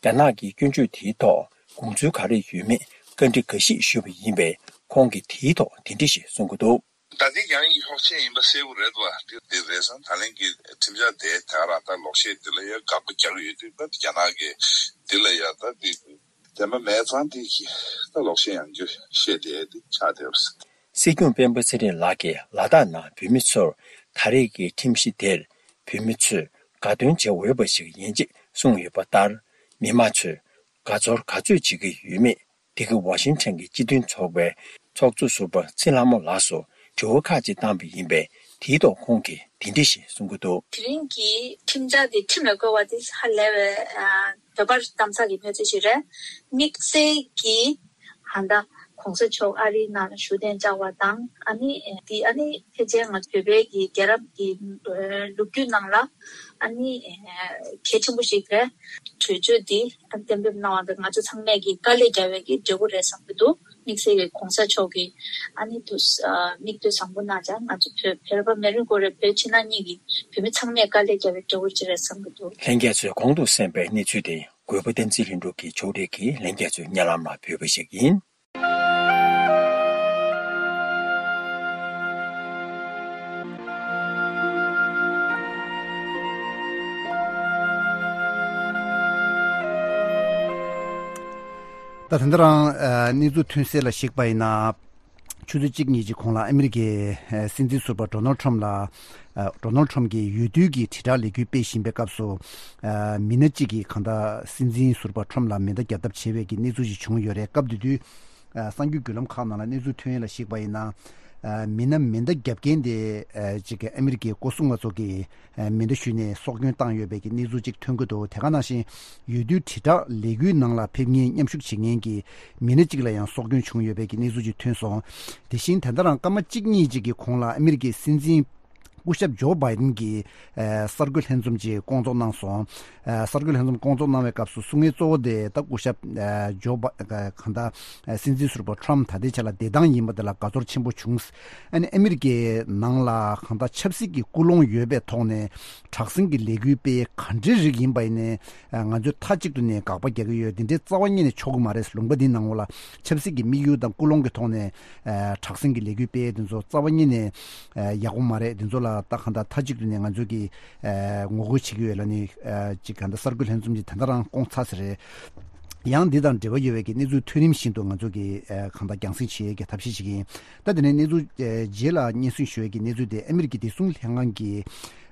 རྒྱ་ནག་གི་སྐྱོན་བརྗོད་དེའི་ཐོག་དགོངས་ཚུལ་ག་རེ་ཡོད་མེད་བཀའ་འདྲི་འགའ་ཞིག་ཞུས་པ་ཡིན་པས། ཁོང་གིས་དེའི་ཐོག་དེ་འདྲ་ཞིག་གསུང་གི་འདུག་ད་འདི་ཡང་སློག་ཆེན་ཡིན་པ་གསལ་པོ་རེད་བ། འདི་འདི་རེད་སོང་། ད་ལན་གྱི་ཁྲིམས་འཆར་དེ་ད་རང་ད་ལོག་བཤད་འདི་ལ་ཡང་དགག་པ་རྒྱག་གི་ཡོད་དུས་ད་རྒྱ་ནག་གི་འདི་ལ་ཡང་ད་འདི་དེ་མ་མེད་ཙང་འདི་ད་ལོག་བཤད་ཡང་རྒྱུ་བཤད་དེ་འདི་ཆགས་བསྡད་པ་རེད། སྲིད་སྐྱོང་སྤེན་པ་ཚེ་རིང་ལགས་ཀྱིས་ལ་དྭགས་ནང་བོད་མི་ཚོར་ད་རེས་ཀྱི་ཁྲིམས་གཞི་དེར་བོད་མི་ཚོས་དགའ་སྟོན་བྱེད་འོས་པ་ཞིག་ཡིན་ཅེས་གསུངས་ཡོད་པ་ལྟར། མི་མང་ཚོས་དགའ་ཚོར་ག་ཚོད་བྱེད་ཀྱི་ཡོད་མེད། འདི་ག་ཝ་ཤིང་ཊོན་གྱི་སྤྱི་མཐུན་ཚོགས་པའི་ཚོགས་གཙོ་ཟུར་པ་ཚེ་ལྷ་མོ་ལགས་སུ་དྲི་བ་ཁག་ཅིག་བཏང་པ་ཡིན་པས། དེའི་ཐོག་ཁོང་གིས་འདི་འདྲ་ཞིག་གསུང་གི་འདུག་དེ་རིང་གི་ཁྲིམས་འཆར་དེ་ཁྲིམས་ལ་བཀོད་པ་དེ་ཧ་ལས་པའི་ཨ་འོས་འབབ་གཏམ་ཚགས་ཀྱི་གནས་ཚུལ་ཞིག་རེད། དམིགས་བསལ་གྱིས་ཧན་ད་གོང་ས་མཆོག་ཨ་རིའི་ནང་ལ་བཞུགས་གདན་འཇགས་པ་དང་། ཨ་ནི་དེ་ཨ་ནི་ཕལ་ཆེར་ང་ཚོ་བོད་པའི་གི་རྒྱལ་རབས་ཀྱི་ལོ་རྒྱུས་ནང་ལ་ཨ་ནི་གལ་ཆེན་པོ་ཞིག་རེད། གྲོས་ཆོད་འདི་གཏན་འབེབས་གནང་བ་དང་ང་ཚོ་ཚང་མས་ཀྱི་དཀའ་ལས་བརྒྱབ་པའི་གི་འབྲས་བུ་རེད་བསམ་གྱི་འདུག་དམིགས་བསལ་གྱི་གོང་ས་མཆོག་གི་ཨ་ནི་དུ་མིག་ལྟོས་བཟང་པོ་གནང་ཙང་ང་ཚོ་བོད་བོད་པ་མི་རེ་ངོ་རེ་བོད་ཕྱི་ནང་གཉིས་ཀྱི་བོད་མི་ཚང་མས་དཀའ་ལས་བརྒྱབ་པའི་འབྲས་བུ་ཅིག་རེད་བསམ་གྱི་འདུག་ལྷན་རྒྱས་ཚོས་གོང་དུ་གསན་པའི་གནས་ཚུལ་དེ་གུས་པ་བསྟན་འཛིན་ལྷུན་གྲུབ་ཀྱིས་ཕྱོགས་སྒྲིག་གིས་ལྷན་རྒྱས་ཚོའི་སྙན་ལམ་ལ་ཕུལ་བ་ཞིག་ཡིན། ད་ད་ལྟ་རང་ཨ་གནས་ཚུལ་ཐོན་གསལ་ལ་གཞིགས་པ་ཡིན་ན། ཆུ་ཚོད་གཅིག་གཉིས་ཀྱི་གོང་ལ་ཨ་མི་རི་ཀའི་ཨ་སྲིད་འཛིན་ཟུར་པ་ཌོ་ནལ་ཁྲམ་ལ་ཨ་ཌོ་ནལ་ཁྲམ་གྱིས་འོས་བསྡུ་གི་དྲིལ་བསྒྲགས་ལས་འགུལ་སྤེལ་བཞིན་པའི་སྐབས་སུ། ཨ་མི་སྣ་གཅིག་གིས་གང་ལྟར་སྲིད་འཛིན་ཟུར་པ་ཁྲམ་ལ་མེ་མདའ་རྒྱག་ཐབས་བྱས་པའི་གི་གནས་ཚུལ་ཞིག་བྱུང་ཡོད་རེད། སྐབས་དེ་དུས་ཨ་གསར་འགྱུར་བརྒྱུད་ལམ་ཁག་ནང་ལ་གནས་ཚུལ་ཐོན་ཡས་ལ་གཞིགས་པ་ཡིན་ན། ཨ་མི་སྣ་མེ་མདའ་རྒྱབ་མཁན་དེ་ཨ་གཅིག་གི་ཨ་མི་རི་ཀའི་སྐུ་སྲུང་པ་ཚོ་གིས་ཨ་མེ་མདའ་གཞུས་ནས་སྲོག་སྐྱོན་བཏང་ཡོད་པའི་གི་གནས་ཚུལ་ཅིག་ཐོན་གྱི་འདུག་དེ་ག་ནང་བཞིན་འོས་བསྡུའི་དྲིལ་བསྒྲགས་ལས་འགུལ་ནང་ལ་ཕེབས་མཁན་མཉམ་ཞུགས་བྱེད་མཁན་གྱི་མི་སྣ་གཅིག་ལ་ཡང་སྲོག་སྐྱོན་བྱུང་ཡོད་པའི་གི་གནས་ཚུལ་ཅིག་ཐོན་སོང་། དེ་བཞིན་ད་ལྟ་རང་སྐར་མ་གཅིག་གཉིས་ཅིག་གི་གོང་ལ་ཨ་མི་རི་ཀའི་སྲིད་འཛིན་སྐུ་ཞབས་ཇོ་བྷའི་ཌེན་གྱིས་ཨ་གསར་འགོད་ལྷན་འཛོམས་ཅིག་སྐོང་ཚོགས་གནང་སོང་། ཨ་གསར་འགོད་ལྷན་འཛོམས་སྐོང་ཚོགས་གནང་བའི་སྐབས་སུ་གསུང་མཁན་གཙོ་བོ་དེ་ད་སྐུ་ཞབས་ཨ་ཇོ་བྷ་ཨ་གང་ལྟར་ཨ་སྲིད་འཛིན་ཟུར་པ་ཁྲམ་ད་ལྟའི་ཆ་ལ་བདེ་ཐང་ཡིན་པ་དེ་ལ་དགའ་ཚོར་ཆེན་པོ་བྱུང་། ཨ་ནི་ཨ་མི་རི་ཀའི་ནང་ལ་གང་ལྟར་ཆབ་སྲིད་ཀྱི་ཀུན་སློང་ཡོད་པའི་ཐོག་ནས་དྲག་ཟིང་གི་ལས་འགུལ་སྤེལ་ག་འདྲའི་རིགས་ཡིན་པ་ཡིན་ནའི་ང་ཚོས་མཐའ་གཅིག་ཏུ་ནས་དགག་པ་རྒྱག་གི་ཡོད། འདི་འདྲའི་རྩ་བ་ཉིད་ནས་ཆོག་གི་མ་རེད། ལུང་པ་འདིའི་ནང་ལ་ཆབ་སྲིད་ཀྱི་དམིགས་ཡུལ་དང་ཀུན་སློང་གི་ཐོག་ནས་དྲག་ཟིང་གི་ལས་འགུལ་སྤེལ་དེ་ཚོ་རྩ་བ་ཉིད་ནས་ཡག་པོ་མ་རེད། དེ་ཚོ་ལ་ད་གང་ལྟར་མཐའ་གཅིག་ཏུ་ནས་ང་ཚོས་ཀྱི་ངོ་རྒོལ་བྱེད་ཀྱི་ཡོད་ལབ་ནས་ཅིག་གང་ལྟར་གསར་འགོད་ལྷན་འཛོམས་ཀྱི་ད་ལྟ་རང་སྐོང་ཚར་ས་རེད། ཡང་འདི་དང་འབྲེལ་བ་ཡོད་པའི་གི་གནས་ཚུལ་ཐོན་རིམ་བཞིན་དུ་ང་ཚོ་གི་ཨ་གང་ལྟར་རྒྱང་སྲིང་བྱེད་ཡས་ཀྱི་ཐབས་ཤེས་ཤིག་ཡིན། ད་དེ་ནས་གནས་ཚུལ་ཨ་རྗེས་ལ་སྙན་སེང་ཞུ་ཡས་ཀྱི་གནས་ཚུལ་དེ་ཨ་མི་རི་ཀའི་བདེ་སྲུང་ལྷན་ཁང་གི་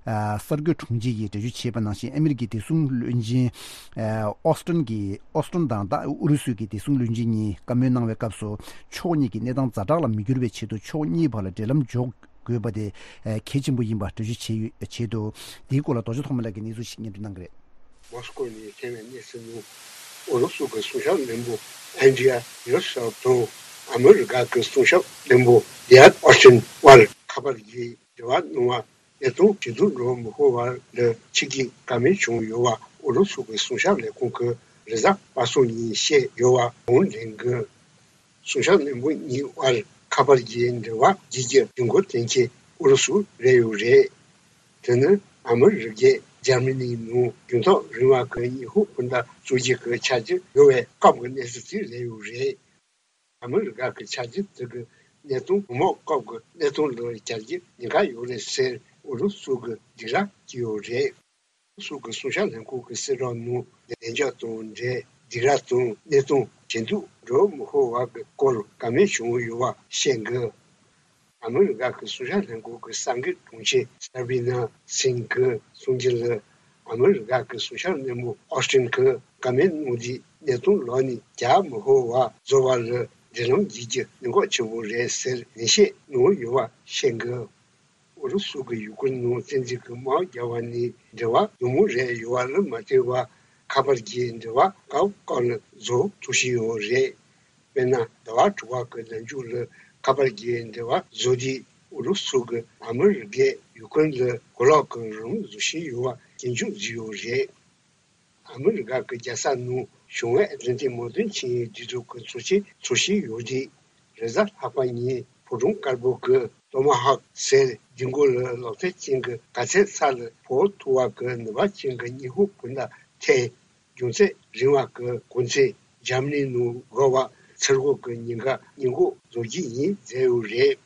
ཨ་གསར་འགོད་དྲུང་ཆེ་ཡིས་འགྲེལ་བརྗོད་བྱས་པ་ནང་བཞིན། ཨ་མི་རི་ཀའི་བདེ་སྲུང་བློན་ཆེན་ཨ་ཨོ་སི་ཊོན་གྱིས་ཨོ་སི་ཊོན་དང་ད་ཨུ་རུ་སུ་གི་བདེ་སྲུང་བློན་ཆེན་གཉིས་བཀའ་མོལ་གནང་བའི་སྐབས་སུ། ཕྱོགས་གཉིས་ཀྱི་གནས་སྟངས་ཛ་དྲག་ལ་མི་འགྱུར་བའི་ཆེད་དུ་ཕྱོགས་གཉིས་བར་ལ་འབྲེལ་ལམ་འཇོག་དགོས་པ་དེ་གལ་ཆེན་པོ་ཡིན་པ་འགྲེལ་བརྗོད་བྱས་ཡོད། བྱས་འདུག་འདིའི་སྐོར་ལ་རྡོ་རྗེ་ཐོགས་མེད་ལགས་ཀྱིས་གནས་ཚུལ་ཞིག་སྙན་སྒྲོན་གནང་གི་རེད། མོ་སི་ཀོ་ནས་ཐོན་པའི་གནས་ཚུལ་ནང་ཨུ་རུ་སུ་གི་སྲུང་སྐྱོབ་བློན་པོ་ཨན་ཌི་རི་ཡ་ཡོ་སེབ་དང་ཨ་མི་རི་ཀ་གི་སྲུང་སྐྱོབ་བློན་པོ་ལི་ཡོད་ཨོ་སི་ཊིན་བར་ཁ་པར་གྱི་འབྲེལ་བ་གནང་བ། གནས་སྟངས་ཇེ་སྡུག་འགྲོ་མི་ཕོད་པ་ལ་ཕྱི་རྒྱལ་བཀའ་མོལ་བྱུང་ཡོད་པ་ཨུ་རུ་སུ་གི་སྲུང་སྐྱོབ་ལས་ཁུངས་ཀྱིས་རེས་གཟའ་པ་སངས་ཉིན་བཤད་ཡོད་པ་གོང་ལེན་གྱིས། སྲུང་སྐྱོབ་བློན་པོ་གཉིས་དབར་ཁ་པར་གྱི་འབྲེལ་བ་བརྗེ་རྒྱུ་དུས་འགོ་དོན་ཆེན་ཨུ་རུ་སུ་རེད་ཡོད་རེད། དེ་ནི་ཨ་མི་རི་ཀས་འཇར་མ་ནིའི་ནང་རྒྱང་ཐག་རིང་བ་གི་ཉི་ཧོང་འཕུར་མདའ་བཙུགས་རྒྱུ་གི་འཆར་གཞི་ཡོད་པའི་སྐབས་ཀྱི་གནས་ཚུལ་དེ་རེད་ཡོད་རེད། ཨ་མི་རི་ཀ་གི་འཆར་གཞི་དེ་གི་གནས་སྟངས་དུས་མོ་སྐབས་ཀྱི་གནས་སྟངས་ལ་སྦྱར་རྒྱུ་ཉེན་ཁ་ཡོད་རེད་ཟེར་ཨུ་རུ་སུ་གིས་སྡིགས་ར་བྱས་ཡོད་རེད། སུ་གི་སྲུང་སྐྱོབ་ལྷན་ཁང་གི་གསལ་བསྒྲགས་ནང་ལན་འཇགས་དང་འབྲེལ་སྡིགས་ར་དང་གནས་སྟངས་ཇེ་སྡུག་འགྲོ་མི་ཕོད་པ་གི་སྐོར་བཀའ་མོལ་བྱུང་ཡོད་པ་བཤད་འདུག་ཨ་མི་རི་ཀ་གི་སྲུང་སྐྱོབ་ལྷན་ཁང་གི་གསར་འགོད་དྲུང་ཆེ་སར་བྷི་ན་སིང་གིས་གསུངས་རྒྱུ་ལ། ཨ་མི་རི་ཀ་གི་སྲུང་སྐྱོབ་བློན་པོ་ཨོ་སི་ཊིན་གྱིས་བཀའ་མོལ་གནང་དུས་གནས་སྟངས་ལོག་ནས་རྒྱག་མི་ཕོད་པ་བཟོ་བ་ལ་འབྲེལ་ལམ་བརྗེ་རྒྱུ་གནད་འགག་ཆེན་པོ་རེད་ཟེར་ནན་བཤད་གནང་ཡོད་པ་བཤད་འདུག་ཨུ་རུ་སུ་གིས་ཡུ་ཀེ་རེན་ནང་བཙན་འཛུལ་གྱི་དམག་བརྒྱབ་པ་ནས་འབྲེལ་བ་སྡུག་མོ་རེད་ཡོད་པ་ལ་མ་ལྟོས་པར་ཁ་པར་གྱི་འབྲེལ་བ་སྐབས་སྐབས་ལ་བཟོ་ཐུབ་བཞིན་ཡོད་རེད། དཔེར་ན་ཟླ་བ་དྲུག་པ་གི་ནང་མཇུག་ལ་ཁ་པར་གྱི་འབྲེལ་བ་བཟོ་དུས་ཨུ་རུ་སུ་གིས་ཨ་མི་རི་ཀས་ཡུ་ཀེ་རེན་ལ་གོ་ལོག་གི་རང་དབང་བཟོ་བཞིན་ཡོད་པ་སྐྱོན་བརྗོད་བཟོས་ཡོད་རེད། ཨ་མི་རི་ཀ་གི་རྒྱལ་ས་ནང་བྱུང་བའི་བདུན་ཕྲག་མོ་དོན་ཆེན་གྱི་སྒྲིག་འཛུགས་ཀྱི་ཚོགས་ཆེན་འཚོགས་བཞིན་ཡོད་དུས། རེས་གཟའ་ལྷག་པ་ཉིན་ཕོ་བྲང་དཀར་པོ་གི་ཏོ་མ་ཧོག་ཟེར་ལྡིང་གུ་ལ་གློག་ཐག་ཅན་གྱི་ག་ཚད་ས་ལ་ཕོག་ཐུབ་པ་གི་ནུས་པ་ཅན་གྱི་ཉི་ཧོང་འཕུར་མདའ་ཐེངས་རྒྱང་ཚད་རིང་བ་གི་གོ་མཚོན་འཇར་མ་ནི་ནང་འགོ་བ་ཚུར་འགོག་གི་ཉེན་ཁ་སྔོན་འགོག་བཟོ་རྒྱུ་ཡིན་མཛད་ཡོད་རེད།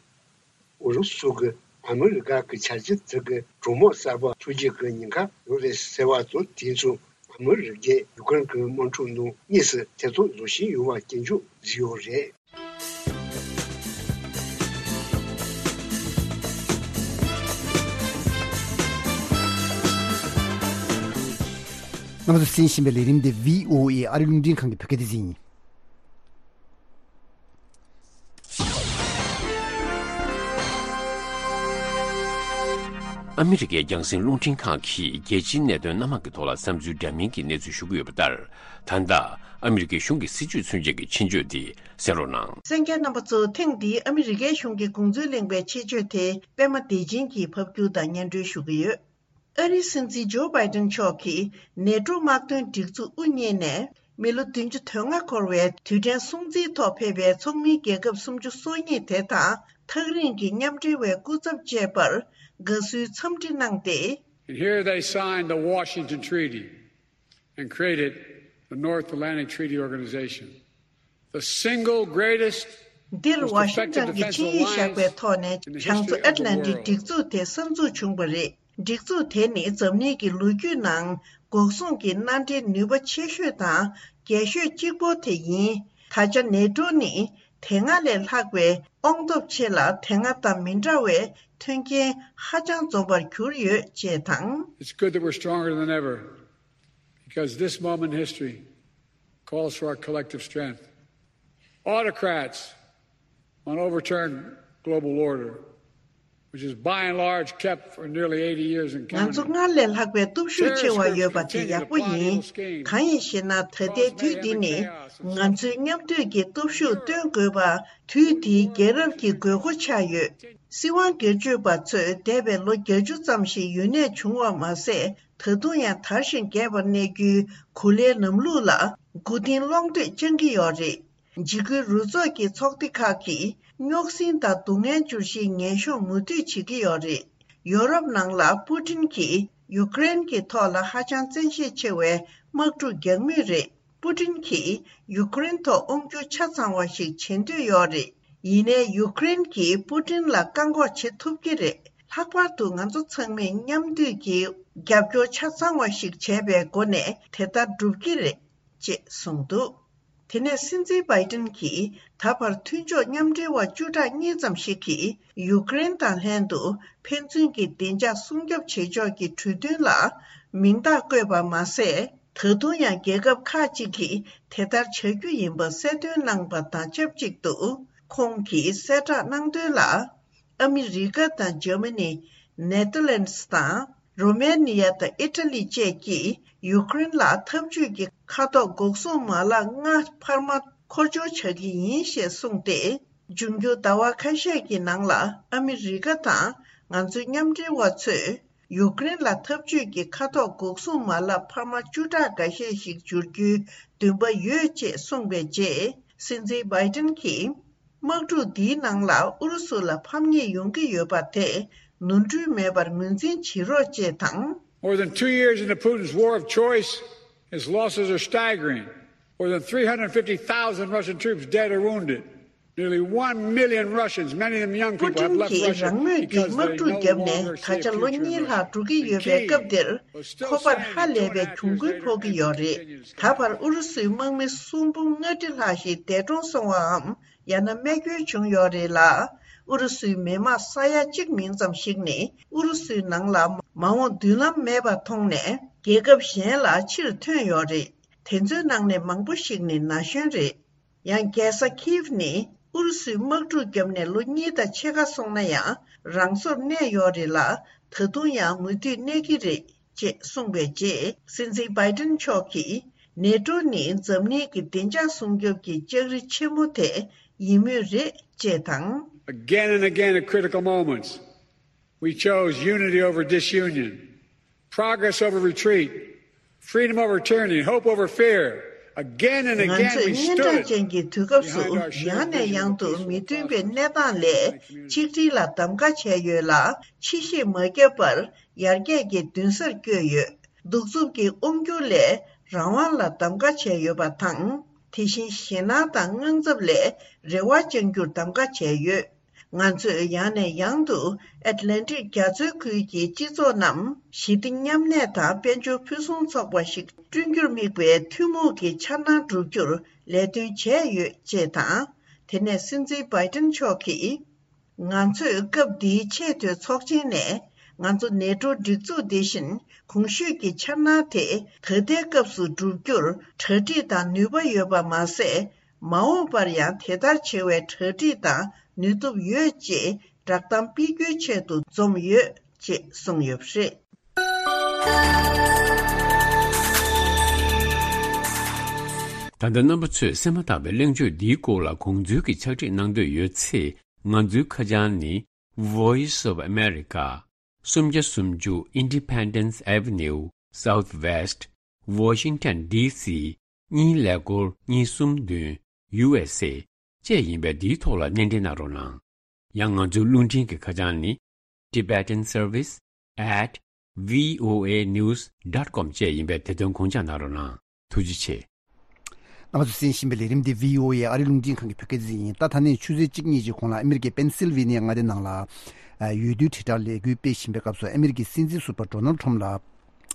ཨུ་རུ་སུ་གིས་ཨ་མི་རི་ཀ་གི་བྱ་སྤྱོད་དེ་གིས་གྲོས་མོལ་གསར་པ་འཚོགས་རྒྱུ་གི་ཉེན་ཁ་ཡོད་རེད་ཟེར་བ་ཚོ་དེ་ཚོ་ཨ་མི་རི་ཀས་ཡུ་ཀེ་རེན་གྱི་དམག་འཁྲུག་ནང་དངོས་སུ་ཐེ་ཚོམ་བཟོ་བཞིན་ཡོད་པ་སྐྱོན་བརྗོད་བཟོས་ཡོད་རེད། རྣམ་པ་ཚོས་གསན་བཞིན་པའི་ལས་རིམ་འདི་བྷི་ཨོ་ཨེ་ཨ་རི་རླུང་འཕྲིན་ཁང་གི་བོད་སྐད་སྡེ་ཚན་ཡིན། ཨ་མི་རི་ཀའི་རྒྱང་སྲིང་རླུང་འཕྲིན་ཁང་གིས་རྒྱལ་སྤྱིའི་གནད་དོན་སྣ་མང་གི་ཐོག་ལ་བསམ་ཚུལ་འདྲ་མིན་གྱི་གནས་ཚུལ་ཞུ་གི་ཡོད་པ་ལྟར། ད་ལྟ་ཨ་མི་རི་ཀའི་གཞུང་གི་སྲིད་བྱུས་མཚོན་བྱེད་ཀྱི་ཆེད་བརྗོད་དེ་གསན་རོགས་གནང་། གསན་མཁན་རྣམ་པ་ཚོ། ཐེངས་འདིའི་ཨ་མི་རི་ཀའི་གཞུང་གི་དགོངས་ཚུལ་གླེང་བའི་ཆེད་བརྗོད་དེ་པད་མ་བདེ་ཆེན་གྱིས་ཕབ་སྒྱུར་དང་སྙན་སྒྲོན་ཞུ་གི་ཡོད། ཨ་རིའི་སྲིད་འཛིན་ཇོ་བྷའི་ཏན་མཆོག་གིས་ནེ་ཏྲོ་དམག་དོན་སྒྲིག་འཛུགས་དབུ་བརྙེས་ནས་མི་ལོ་བདུན་ཅུ་དོན་ལྔ་འཁོར་བའི་དུས་དྲན་སྲུང་བརྩིའི་ཐོག་ཕེབས་པའི་ཚོགས་མིའི་རྒྱལ་ཁབ་སུམ་ཅུ་སོ་གཉིས་དེ་དང་ཐག་རིང་གི་མཉམ་འབྲེལ་བའི་སྐུ་ཚབ་བཅས་པར་དགའ་བསུའི་འཚམས་འདྲི་གནང་སྟེ། And here they signed the Washington Treaty and created the North Atlantic Treaty Organization, the single greatest, འདིར་ཝ་ཤིང་ཊོན་གྱིས་ཆིངས་ཡིག་བཞག་པའི་ཐོག་ནས་བྱང་མཚོ་ཨེཊ་ལན་ཊིག་སྒྲིག་འཛུགས་དེ་གསར་འཛུགས་བྱུང་བ་རེད། སྒྲིག་འཛུགས་དེ་ནི་འཛམ་གླིང་གི་ལོ་རྒྱུས་ནང་འགོག་སྲུང་གི་མནའ་འབྲེལ་ནུས་པ་ཆེ་ཤོས་དང་རྒྱས་ཤོས་གཅིག་པོ་དེ་ཡིན། ད་ཆ་ནེ་ཏྲོ་ནི་དེ་སྔ་ལས་ལྷག་པའི་དབང་སྟོབས་ཆེ་ལ། དེ་སྔ་དང་མི་འདྲ་བའི་མཐུན་རྐྱེན་ཧ་ཅང་འཛོམས་པར་གྱུར་ཡོད་ཅེས་དང་། It's good that we're stronger than ever, because this moment in history calls for our collective strength. Autocrats want to overturn global order, which is by and large kept for nearly eighty years and counting. ང་ཚོ་སྔར་ལས་ལྷག་པའི་སྟོབས་ཤུགས་ཆེ་བ་ཡོད་པ་དེ་ཡག་པོ་ཡིན། གང་ཡིན་ཞེ་ན། ད་ལྟའི་དུས་འདི་ནི་ང་ཚོའི་མཉམ་འདུས་ཀྱི་སྟོབས་ཤུགས་སྟོན་དགོས་པ་དུས་འདིའི་རྒྱལ་རབས་ཀྱི་དགོས་མཁོ་ཆགས་ཡོད། སྲིད་དབང་སྒེར་གཅོད་པ་ཚོས་འདས་པའི་ལོ་བརྒྱད་ཅུ་ཙམ་ཞིག་ཡུན་གནས་བྱུང་བ་མ་ཟད། ད་དུང་ཡང་དར་ཞིང་རྒྱས་པར་གནས་རྒྱུའི་གོ་ལའི་ལམ་ལུགས་ལ་མགོ་རྟིང་སློག་འདོད་བཅང་གི་ཡོད་རེད། འཇིགས་སྐུལ་རུ་ཚོགས་ཀྱི་ཚོགས་སྡེ་ཁག་གིས་རྙོག་ཟིང་དང་སྡུག་བསྔལ་འབྱོར་གཞིའི་ངན་གཤོམ་མུ་མཐུད་བྱེད་ཀྱི་ཡོད་རེད། ཡོ་རོབ་ནང་ལ་པུ་ཏིན་གྱིས་ཡུཀ་རེན་གྱི་ཐོག་ལ་ཧ་ཅང་བཙན་ཤེད་ཆེ་བའི་དམག་འཁྲུག་རྒྱག་མུས་རེད། པུ་ཏིན་གྱིས་ཡུཀ་རེན་ཐོག་དབང་སྒྱུར་ཆ་ཚང་བ་ཞིག་བྱེད་འདོད་ཡོད་རེད། ཡིན་ནའི་ཡུཀ་རེན་གྱིས་པུ་ཏིན་ལ་བཀག་འགོག་བྱེད་ཐུབ་ཀྱི་རེད། ལྷག་པར་དུ་ང་ཚོ་ཚང་མས་མཉམ་འདུས་ཀྱིས་རྒྱབ་སྐྱོར་ཆ་ཚང་བ་ཞིག་བྱས་པའི་སྒོ་ནས་དེ་ལྟར་འགྲུབ་ཀྱི་རེད། ཅེས་གསུངས་འདུག་དེ་ནས་སྲིད་འཛིན་བྷའི་ཏིན་གྱིས་ད་བར་མཐུན་ཕྱོགས་མཉམ་འབྲེལ་བ་བཅུ་ཕྲག་གཉིས་ཙམ་ཞིག་གིས་ཡུཀ་རེན་དང་ལྷན་དུ་ཕན་ཚུན་གྱི་བདེ་འཇགས་སྲུང་སྐྱོབ་བྱེད་ཕྱོགས་ཀྱི་གྲོས་མཐུན་ལ་མིང་རྟགས་བཀོད་པ་མ་ཟད། ད་དུང་ཡང་རྒྱལ་ཁབ་ཁག་ཅིག་གིས་དེ་ལྟར་བྱ་རྒྱུ་ཡིན་པ་གསལ་སྟོན་གནང་པ་དང་ཆབས་ཅིག་ཏུ། ཁོང་གིས་གསལ་བསྒྲགས་གནང་དོན་ལ། ཨ་མི་རི་ཀ་དང་འཇར་མ་ནི། ནེ་ཐར་ལན་སི་དང་། རོ་མེ་ནི་ཡ་དང་ཨི་ཊ་ལི་བཅས་ཀྱིས་ཡུཀ་རེན་ལ་འཐབ་ཇུས་ཀྱི་མཁའ་ཐོག་འགོག་སྲུང་མ་ལག་ལྔ་འཕར་མ་མཁོ་སྦྱོར་བྱ་གི་ཡིན་ཞེས་གསུངས་ཏེ། འབྱུང་འགྱུར་ཟླ་བ་ཁ་ཤས་ཀྱི་ནང་ལ་ཨ་མི་རི་ཀ་དང་ང་ཚོའི་མཉམ་འབྲེལ་བ་ཚོས་ཡུཀ་རེན་ལ་འཐབ་ཇུས་ཀྱི་མཁའ་ཐོག་འགོག་སྲུང་མ་ལག་འཕར་མ་བཅུ་ཕྲག་འགའ་ཤས་ཤིག་འབྱོར་རྒྱུའི་འདུན་པ་ཡོད་ཅེས་གསུངས་པའི་རྗེས། སྲིད་འཛིན་བྷའི་ཏིན་གྱིས། དམག་འཁྲུག་འདིའི་ནང་ལ་ཨུ་རུ་སུ་ལ་ཕམ་ཉེས་ཡོང་གི་ཡོད་པ་དེ་ནོར་འཁྲུལ་མེད་པར་ངོས་འཛིན་བྱེད་རོགས་ཅེས་དང་། More than two years into Putin's war of choice, his losses are staggering. More than three hundred fifty thousand Russian troops dead or wounded. Nearly one million Russians, many of them young people, have left Russia because they no longer see a future in Russia. པུ་ཏིན་གྱིས་རང་མོས་ཀྱིས་དམག་འཁྲུག་བརྒྱབ་ནས་ད་ཆ་ལོ་གཉིས་ལྷག་འགྲོ་གི་ཡོད་པའི་སྐབས་འདིར། ཁོ་པར་ཧ་ལས་པའི་གྱོང་གུན་ཕོག་གི་ཡོད་རེད། ད་བར་ཨུ་རུ་སུའི་དམག་མི་གསུམ་འབུམ་ལྔ་ཁྲི་ལྷག་ཞིག་འདས་གྲོངས་སོང་བའམ། ཡང་ན་རྨས་སྐྱོན་བྱུང་ཡོད་རེད་ལ། ཨུ་རུ་སུའི་མི་དམངས་ས་ཡ་གཅིག་མིན་ཙམ་ཞིག་ནི་ཨུ་རུ་སུའི་ནང་ལ་མ་འོངས་མདུན་ལམ་མེད་པ་མཐོང་ནས་རྒྱལ་ཁབ་གཞན་ལ་ཕྱིར་ཐོན་ཡོད་རེད། དེ་ཚོའི་ནང་ནས་མང་པོ་ཞིག་ནི་ན་གཞོན་རེད། ཡང་རྒྱལ་ས་ཁིབ་ནི་ཨུ་རུ་སུའི་དམག་འཁྲུག་བརྒྱབ་ནས་ལོ་གཉིས་དང་ཕྱེད་ཀ་སོང་ན་ཡང་རང་སོར་གནས་ཡོད་རེད་ལ། ད་དུང་ཡང་མུ་མཐུད་གནས་ཀྱི་རེད། ཅེས་གསུངས་པའི་རྗེས། སྲིད་འཛིན་བྷའི་ཏིན་མཆོག་གིས། ནེ་ཏྲོ་ནི་འཛམ་གླིང་གི་བདེ་འཇགས་སྲུང་སྐྱོབ་ཀྱི་ལྕགས་རི་ཆེན་མོ་དེ་ཡིན་མུས་རེད། ཅེས་དང་། Again and again at critical moments, we chose unity over disunion, progress over retreat, freedom over tyranny, hope over fear. Again and again, we stood behind our shared values of peace, freedom, and democracy. ང་ཚོས་སྔོན་བརྡ་ཅན་གྱི་དུས་སྐབས་སུ་ཡང་ནས་ཡང་དུ་མི་མཐུན་པའི་གནས་སྟངས་ལས་ཆིག་སྒྲིལ་ལ་གདམ་ག་བྱས་ཡོད་ལ། ཕྱི་བཤིག་མ་བརྒྱབ་པར་ཡར་རྒྱས་ཀྱི་མདུན་སར་བསྐྱོད་ཡོད། གདུག་རྩུབ་ཀྱི་དབང་སྒྱུར་ལས་རང་དབང་ལ་གདམ་ག་བྱས་ཡོད་པ་དང་། དེ་བཞིན་ཞེད་སྣང་དང་དངངས་འཚབ་ལས་རེ་བ་བཅང་རྒྱུར་གདམ་ག་བྱས་ཡོད། ང་ཚོས་ཡང་ནས་ཡང་དུ་ཨེཊ་ལན་ཊིག་རྒྱ་མཚོའི་ཁུལ་གྱི་སྤྱི་ཚོགས་རྣམས་ཞི་བདེ་མཉམ་གནས་དང་དཔལ་འབྱོར་ཕུན་སུམ་ཚོགས་པ་ཞིག་བསྐྲུན་རྒྱུར་དམིགས་པའི་ཐུན་མོང་གི་འཆར་སྣང་བསྒྲུབ་རྒྱུར་ལས་དོན་བྱས་ཡོད་ཅེས་དང་། དེ་ནས་སྲིད་འཛིན་བྷའི་ཏིན་མཆོག་གིས། ང་ཚོས་སྐབས་འདིའི་ཆེས་མཐོའི་ཚོགས་ཆེན་ནས། ང་ཚོ་ནེ་ཊོ་སྒྲིག་འཛུགས་འདི་བཞིན་གོང་ཞུས་ཀྱི་འཆར་སྣང་དེ་ད་ལྟའི་སྐབས་སུ་བསྒྲུབ་རྒྱུར་གྲ་སྒྲིག་དང་ནུས་པ་ཡོད་པ་མ་ཟད། མ་འོངས་པར་ཡང་དེ་ལྟར་བྱེད་པའི་གྲ་སྒྲིག་དང་ནུས་སྟོབས་ཡོད་ཅེས་བསྒྲགས་གཏམ་སྤེལ་རྒྱུའི་ཆེད་དུ་འཛོམས་ཡོད་ཅེས་གསུངས་ཡོད་པ་རེད། ད་ལྟ་རྣམ་པ་ཚོས་གསན་མ་ཐག་པའི་གླེང་བརྗོད་འདིའི་སྐོར་ལ་དགོངས་ཚུལ་གྱི་ཕྱག་བྲིས་གནང་འདོད་ཡོད་ཚེ། ང་ཚོའི་ཁ་བྱང་ནི། Voice of America, སུམ་བརྒྱ་སུམ་ཅུ་Independence Avenue, Southwest, Washington, D C གཉིས་ཀླད་ཀོར་གཉིས་གསུམ་བདུན། ཡུ་ཨེས་ཨེ་བཅས་ཡིན་པས། འདིའི་ཐོག་ལ་སྣེ་འདྲེན་གནང་རོགས་གནང་། ཡང་ང་ཚོའི་རླུང་འཕྲིན་གྱི་ཁ་བྱང་ནི། Tibetan Service at V O A News dot com བཅས་ཡིན་པས། དེ་དོན་དགོངས་འཇགས་གནང་རོགས་གནང་། ཐུགས་རྗེ་ཆེ། རྣམ་པ་ཚོས་གསན་བཞིན་པའི་ལས་རིམ་འདི་V O A ཨ་རིའི་རླུང་འཕྲིན་ཁང་གི་བོད་སྐད་སྡེ་ཚན་ཡིན། ད་ད་ནས་ཆུ་ཚོད་གཅིག་གཉིས་ཀྱི་གོང་ལ་ཨ་མི་རི་ཀའི་པེན་སིལ་ཝེ་ནི་ཡ་མངའ་སྡེ་ནང་ལ། ཨ། འོས་བསྡུའི་དྲིལ་བསྒྲགས་ལས་འགུལ་སྤེལ་བཞིན་པའི་སྐབས་སུ་ཨ་མི་རི་ཀའི་སྲིད་འཛིན་ཟུར་པ་ཌོ་ནལ་ཌི་ཊརམ་ཕ་ལ་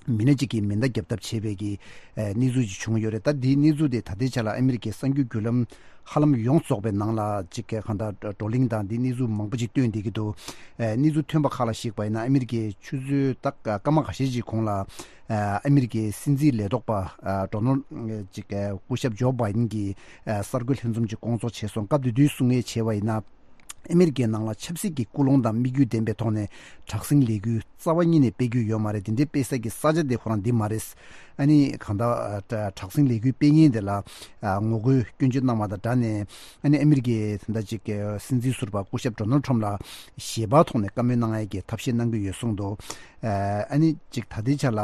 མི་སྣ་གཅིག་གིས་མེ་མདའ་བརྒྱབ་ཐབས་བྱས་པའི་གི་ཨ་གནས་ཚུལ་ཅིག་བྱུང་ཡོད་རེད། ད་འདིའི་གནས་ཚུལ་དེ་ད་ལྟའི་ཆ་ལ་ཨ་མི་རི་ཀའི་གསར་འགྱུར་བརྒྱུད་ལམ་ཧ་ལམ་ཡོངས་རྫོགས་པའི་ནང་ལ་ཅིག་ག་ད་བགྲོ་གླེང་དང་འདིའི་གནས་ཚུལ་མང་པོ་ཅིག་བཏོན་བསྡད་ཀྱི་འདུག་ཨ་གནས་ཚུལ་ཐོན་པ་ཁག་ལ་གཞིགས་པ་ཡིན་ན། ཨ་མི་རི་ཀའི་ཆུ་ཚོད་ད་སྐར་མ་འགའ་ཤས་ཅིག་གོང་ལ། ཨ་མི་རི་ཀའི་སྲིད་འཛིན་ལས་ཐོག་པ་ཨ་ཌོ་ནལ་ཅིག་སྐུ་ཞབས་ཇོ་བྷའི་ཏིན་གྱིས་ཨ་གསར་འགོད་ལྷན་འཛོམས་ཅིག་བསྐོང་ཚོགས་བྱས་སོང་། སྐབས་དེ་དུས་གསུང་ཡས་བྱས་པ་ཡིན་ན། ཨ་མི་རི་ཀའི་ནང་ལ་ཆབ་སྲིད་ཀྱི་ཀུན་སློང་དང་དམིགས་ཡུལ་ལྡན་པའི་ཐོག་ནས་དྲག་ཟིང་ལས་འགུལ་རྩ་བ་ཉིད་ནས་སྤེལ་རྒྱུ་ཡོད་མ་རེད། དེ་འདྲའི་སྤེལ་ས་ཀྱི་ས་ཆ་དེ་ཁོ་རང་འདི་མ་རེད། ཨ་ནི་གང་ལྟར་ཨ་དྲག་ཟིང་ལས་འགུལ་སྤེལ་མཁན་དེ་ལ་ཨ་ངོ་རྒོལ་སྐྱོན་བརྗོད་གནང་བ་དང་སྦྲགས་ནས། ཨ་ནི་ཨ་མི་རི་ཀའི་ད་ལྟ་ཅིག་སྲིད་འཛིན་ཟུར་པ་སྐུ་ཞབས་ཌོ་ནལ་ཌི་ཊརམ་ཕ་ལ་ཞལ་པར་ཐོག་ནས་བཀའ་མོལ་གནང་ཡས་ཀྱི་ཐབས་ཤེས་གནང་གི་ཡོད་གསུངས་འདུག་ཨ་ནི་ཅིག་ད་ལྟའི་ཆ་ལ་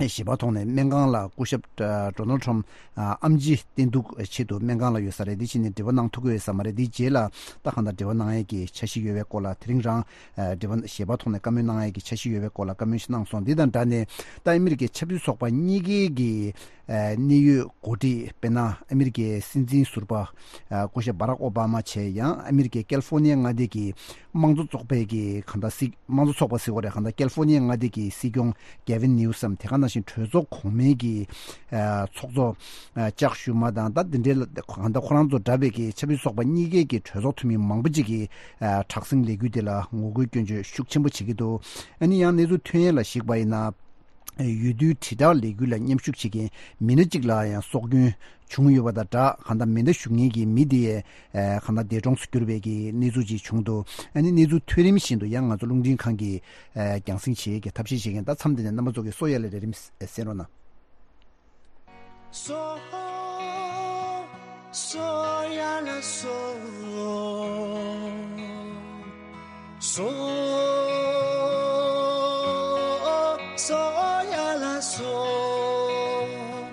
ཞལ་པར་ཐོག་ནས་སྨན་ཁང་ལ་སྐུ་ཞབས་ཌོ་ནལ་ཌི་ཊརམ་ཕ་ལ་ཨེམ་ཆི་བསྟེན་གཏུག་ཆེད་དུ་སྨན་ཁང་ལ་ཡོད་ས་རེད། དེ་བྱས་ནས་འབྲེལ་བ་གནང་ཐུབ་ཀྱི་ཡོད་ས་མ་རེད། དེ་རྗེས་ལ་ད་གང་ལྟར་འབྲེལ་བ་གནང་ཡས་ཀྱི་འཆར་གཞི་ཡོད་པའི་སྐོར་ལ། དེ་རིང་རང་འབྲེལ་བ་ཞལ་པར་ཐོག་ནས་བཀའ་མོལ་གནང་ཡས་ཀྱི་འཆར་གཞི་ཡོད་པའི་སྐོར་ལ་བཀའ་མོལ་ཞིག་གནང་སོང་། འདི་དང་སྦྲགས་ནས་ད་ཨ་མི་རི་ཀའི་ཆབ་སྲིད་ཚོགས་པ་གཉིས་ཀའི་གི་ཨ་གནད་ཡོད་འགོ་ཁྲིད། དཔེར་ན་ཨ་མི་རི་ཀའི་སྲིད་འཛིན་ཟུར་པ་ཨ་སྐུ་ཞབས་བྷ་རག་ཨོ་བྷ་མ་བྱས། ཡང་ཨ་མི་རི་ཀའི་ཀལ་ཧྥོ་ནི་ཡ་མངའ་སྡེ་གི་དམངས་གཙོ་ཚོགས་པའི་གི་གང་ལྟར་སྲིད། དམངས་གཙོ་ཚོགས་པ་ཟེར་དགོས་རེད། གང་ལྟར་ཀལ་ཧྥོ་ནི་ཡ་མངའ་སྡེ་གི་སྲིད་སྐྱོང་གེ་ཝིན་ནིའུ་སམ། དེ་ག་ནང་བཞིན་གྲོས་ཚོགས་གོང་མའི་གི་ཨ་ཚོགས་གཙོ་ཨ་ཅག་ཤུ་མ་དང་། ད་འདི་འདྲའི་གང་ལྟར་ཁོ་རང་ཚོ་འདྲ་བའི་གི་ཆབ་སྲིད་ཚོགས་པ་གཉིས་ཀའི་གི་གྲོས་ཚོགས་འཐུས་མི་མང་པོ་ཅིག་གིས་ཨ་དྲག་ཟིང་ལས་འགུལ་དེ་ལ་ངོ་རྒོལ་སྐྱོན་བརྗོད་ཤུགས་ཆེན་པོ་བྱེད་ཀྱི་འདུག་ཨ་ནི་ཡང་གནས་ཚུལ་ཐོན་ཡས་ལ་གཞིགས་པ་ཡིན་ན། འོས་བསྡུའི་དྲིལ་བསྒྲགས་ལས་འགུལ་ལ་མཉམ་ཞུགས་བྱེད་མཁན་མི་སྣ་གཅིག་ལ་ཡང་སྲོག་སྐྱོན་བྱུང་ཡོད་པ་དང་སྦྲགས། གང་ལྟར་མེ་མདའ་གཞུ་མཁན་གྱི་མི་དེ་ཡང་གང་ལྟར་འདས་གྲོངས་སུ་གྱུར་པའི་གི་གནས་ཚུལ་ཅིག་བྱུང་འདུག་ཨ་ནི་གནས་ཚུལ་ཐོན་རིམ་བཞིན་དུ་ཡང་ང་ཚོ་རླུང་འཕྲིན་ཁང་གིས་རྒྱང་སྲིང་བྱེད་ཀྱི་ཐབས་ཤེས་བྱེད་མཁན། ད་མཚམས་འདི་ནས་རྣམ་པ་ཚོ་གིས་གསོ་ཡ་ལ་ལས་རིམ་གསན་རོགས་གནང་།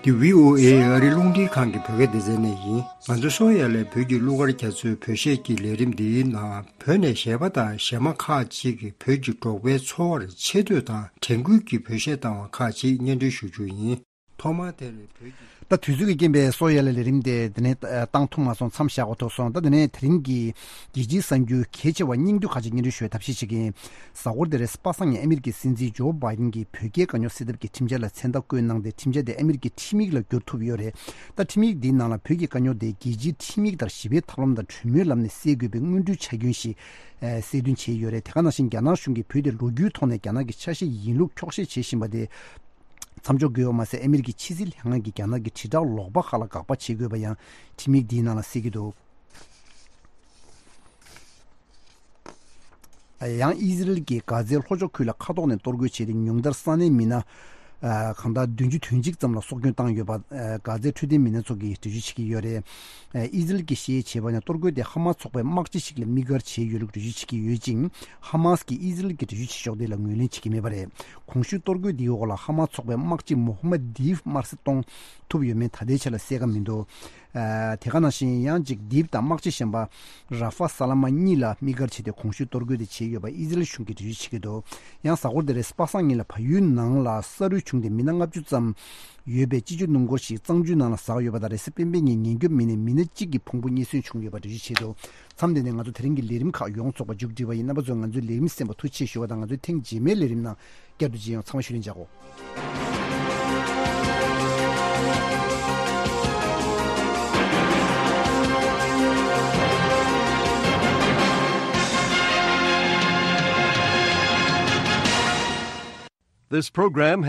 འདི་བྷི་ཨོ་ཨེ་ཨ་རིའི་རླུང་འཕྲིན་ཁང་གི་བོད་སྐད་སྡེ་ཚན་ནས་ཡིན། ང་ཚོ་གསོ་ཡ་ལས་བོད་ཀྱི་གླུ་གར་རྒྱ་མཚོའི་བོད་གཞས་ཀྱི་ལས་རིམ་འདིའི་ནང་བོད་ནས་གཞས་པ་དང་གཞས་མ་ཁག་ཅིག་གིས་བོད་ཀྱི་འབྲོག་པའི་འཚོ་བར་ཆེ་བསྟོད་དང་དྲན་སྐུལ་གྱི་བོད་གཞས་བཏང་བ་ཁག་ཅིག་སྙན་སྒྲོན་ཞུ་རྒྱུ་ཡིན། ཐོག་མར་དེ་རེད། བོད་ཀྱི། ད་དུས་ཚོད་ཀྱི་རྐྱེན་པས་གསོ་ཡ་ལ་ལས་རིམ་དེ་དེ་ནས་ཨ་བཏང་ཐུབ་མ་སོང་། མཚམས་བཞག་དགོས་ཐུག་སོང་། ད་དེ་ནས་དེ་རིང་གི་རྒྱལ་སྤྱིའི་གསར་འགྱུར་གལ་ཆེ་བ་སྙིང་བསྡུས་ཁག་ཅིག་སྙན་སྒྲོན་ཞུ་བའི་ཐབས་ཤེས་བྱེད་ཀྱི་ཡིན། གཟའ་འཁོར་དེ་རེད། པ་སངས་ཉིན་ཨ་མི་རི་ཀའི་སྲིད་འཛིན་ཇོ་བྷའི་ཏིན་གྱིས་བོད་རྒྱའི་དཀའ་རྙོག་སེལ་ཐབས་ཀྱི་ཁྲིམས་འཆར་ལ་མཚན་རྟགས་བཀོད་གནང་སྟེ། ཁྲིམས་འཆར་དེ་ཨ་མི་རི་ཀའི་ཁྲིམས་ཡིག་ལ་བསྒྱུར་ཐུབ་ཡོད་རེད། ད་ཁྲིམས་ཡིག་འདིའི་ནང་ལ་བོད་ཀྱི་དཀའ་རྙོག་དེ་རྒྱལ་སྤྱིའི་ཁྲིམས་ཡིག་ལྟར་ཞི་བའི་ཐབས་ལམ་དང་གྲོས་མོལ་ལམ་ནས་སེལ་དགོས་པའི་སྔོན་འགྲོའི་ཆ་རྐྱེན་ཞིག་ཨ་གསལ་སྟོན་བྱས་ཡོད་རེད། དེ་ག་ནང་བཞིན་རྒྱ་ནག་གཞུང་གིས་བོད་དེ་ལོ་རྒྱུས་ཐོག་ནས་རྒྱ་ནག་གི་ཆ་ཤས་ཡིན་ལུགས་འཁྱོག་བཤད་བྱེད་བཞིན་པ་དེ། མཚམས་འཇོག་དགོས་པ་མ་ཟད། ཨ་མི་རི་ཀའི་ཕྱི་སྲིད་ལྷན་ཁང་གིས་རྒྱ་ནག་གི་དྲིལ་བསྒྲགས་ལོག་པ་ཁག་ལ་དགག་པ་བྱེད་དགོས་པ་ཡང་ཁྲིམས་ཡིག་འདིའི་ནང་ལ་གསལ་གྱི་འདུག་ཡང་ཨི་ཟི་རལ་གྱིས་གྷ་ཛའི་ལྷོ་ཕྱོགས་ཁུལ་ལ་མཁའ་ཐོག་ནས་གཏོར་རྒོལ་བྱས་ཏེ། ཉུང་མཐར་ས་གནས་མི་སྣ་ཨ་གང་ལྟར་བདུན་ཅུ་དོན་གཅིག་ཙམ་ལ་སྲོག་སྐྱོན་བཏང་ཡོད་པ་ཨ་གྷ་ཛའི་འཕྲོད་བསྟེན་མི་སྣ་ཚོ་གིས་འགྲེལ་བརྗོད་བྱེད་ཀྱི་ཡོད་རེད། ཨ་ཨི་ཟི་རལ་གྱིས་ཞེས་བྱས་པ་ནི་གཏོར་རྒོལ་དེ་ཧ་མ་ཚོགས་པའི་དམག་སྤྱི་ཞིག་ལ་དམིགས་བཀར་བྱས་ཡོད་ལུགས་འགྲེལ་བརྗོད་བྱེད་ཀྱི་ཡོད་ཅིང་། ཧ་མ་སི་གིས་ཨི་ཟི་རལ་གྱི་འགྲེལ་བརྗོད་བྱེད་ཕྱོགས་དེ་ལ་ངོས་ལེན་བྱེད་ཀྱི་མེད་པ་རེད། གོང་ཞུས་གཏོར་རྒོལ་འདིའི་འོག་ལ་ཧ་མ་ཚོགས་པའི་དམག་སྤྱི་མོ་ཧ་མ་དིབ་དམར་གསོད་གཏོང་ཐུབ་ཡོད་མེད་ད་ལྟའི་ཆ་ལ་གསལ་ཁ་མི་འདུག་ཨ་དེ་ག་ནང་བཞིན་ཡང་ཅིག་དིབ་དང་དམག་སྤྱི་གཞན་པ་ར་ཧྥ་ས་ལ་མ་གཉིས་ལ་དམིགས་བཀར་བྱས་ཏེ་གོང་ཞུས་གཏོར་རྒོལ་དེ་བྱས་ཡོད་པ་ཨི་ཟི་རལ་གཞུང་གིས་འགྲེལ་བརྗོད་བྱེད་ཀྱི་འདུག་ཡང་གཟའ་འཁོར་དེ་རེས་པ་སངས་ཉིན་ལ་བལ་ཡུལ་ནང་ལ་ས་རུད་བྱུང་སྟེ་མི་སྣ་ལྔ་བཅུ་ཙམ་ཡོད་པའི་སྤྱི་སྤྱོད་སྣུམ་འཁོར་ཞིག་གཙང་ཆུའི་ནང་ལ་ཟག་ཡོད་པ་དང་། རེས་གཟའ་སྤེན་པའི་ཉིན་ཉེན་སྐྱོབ་མི་སྣས་མི་སྣ་གཅིག་གི་ཕུང་པོ་རྙེད་སོན་བྱུང་ཡོད་པ་འགྲེལ་བརྗོད་བྱས་འདུག་མཚམས་འདི་ནས་ང་ཚོ་དེ་རིང་གི་ལས་རིམ་ཁག་ཡོངས་རྫོགས་པ་མཇུག་སྒྲིལ་བ་ཡིན། རྣམ་པ་ཚོས་ང་ཚོའི་ལས་རིམ་གསན་པར་ཐུགས་རྗེ་ཆེ་ཞུ་བ་དང་། ང་ཚོའི་ཐེངས་རྗེས་མའི་ལས་རིམ་ནང་བསྐྱར་དུ་མཇལ་ཡོང་། ཚང་མ་ཤུལ་ལེན་བྱ་གོ། This program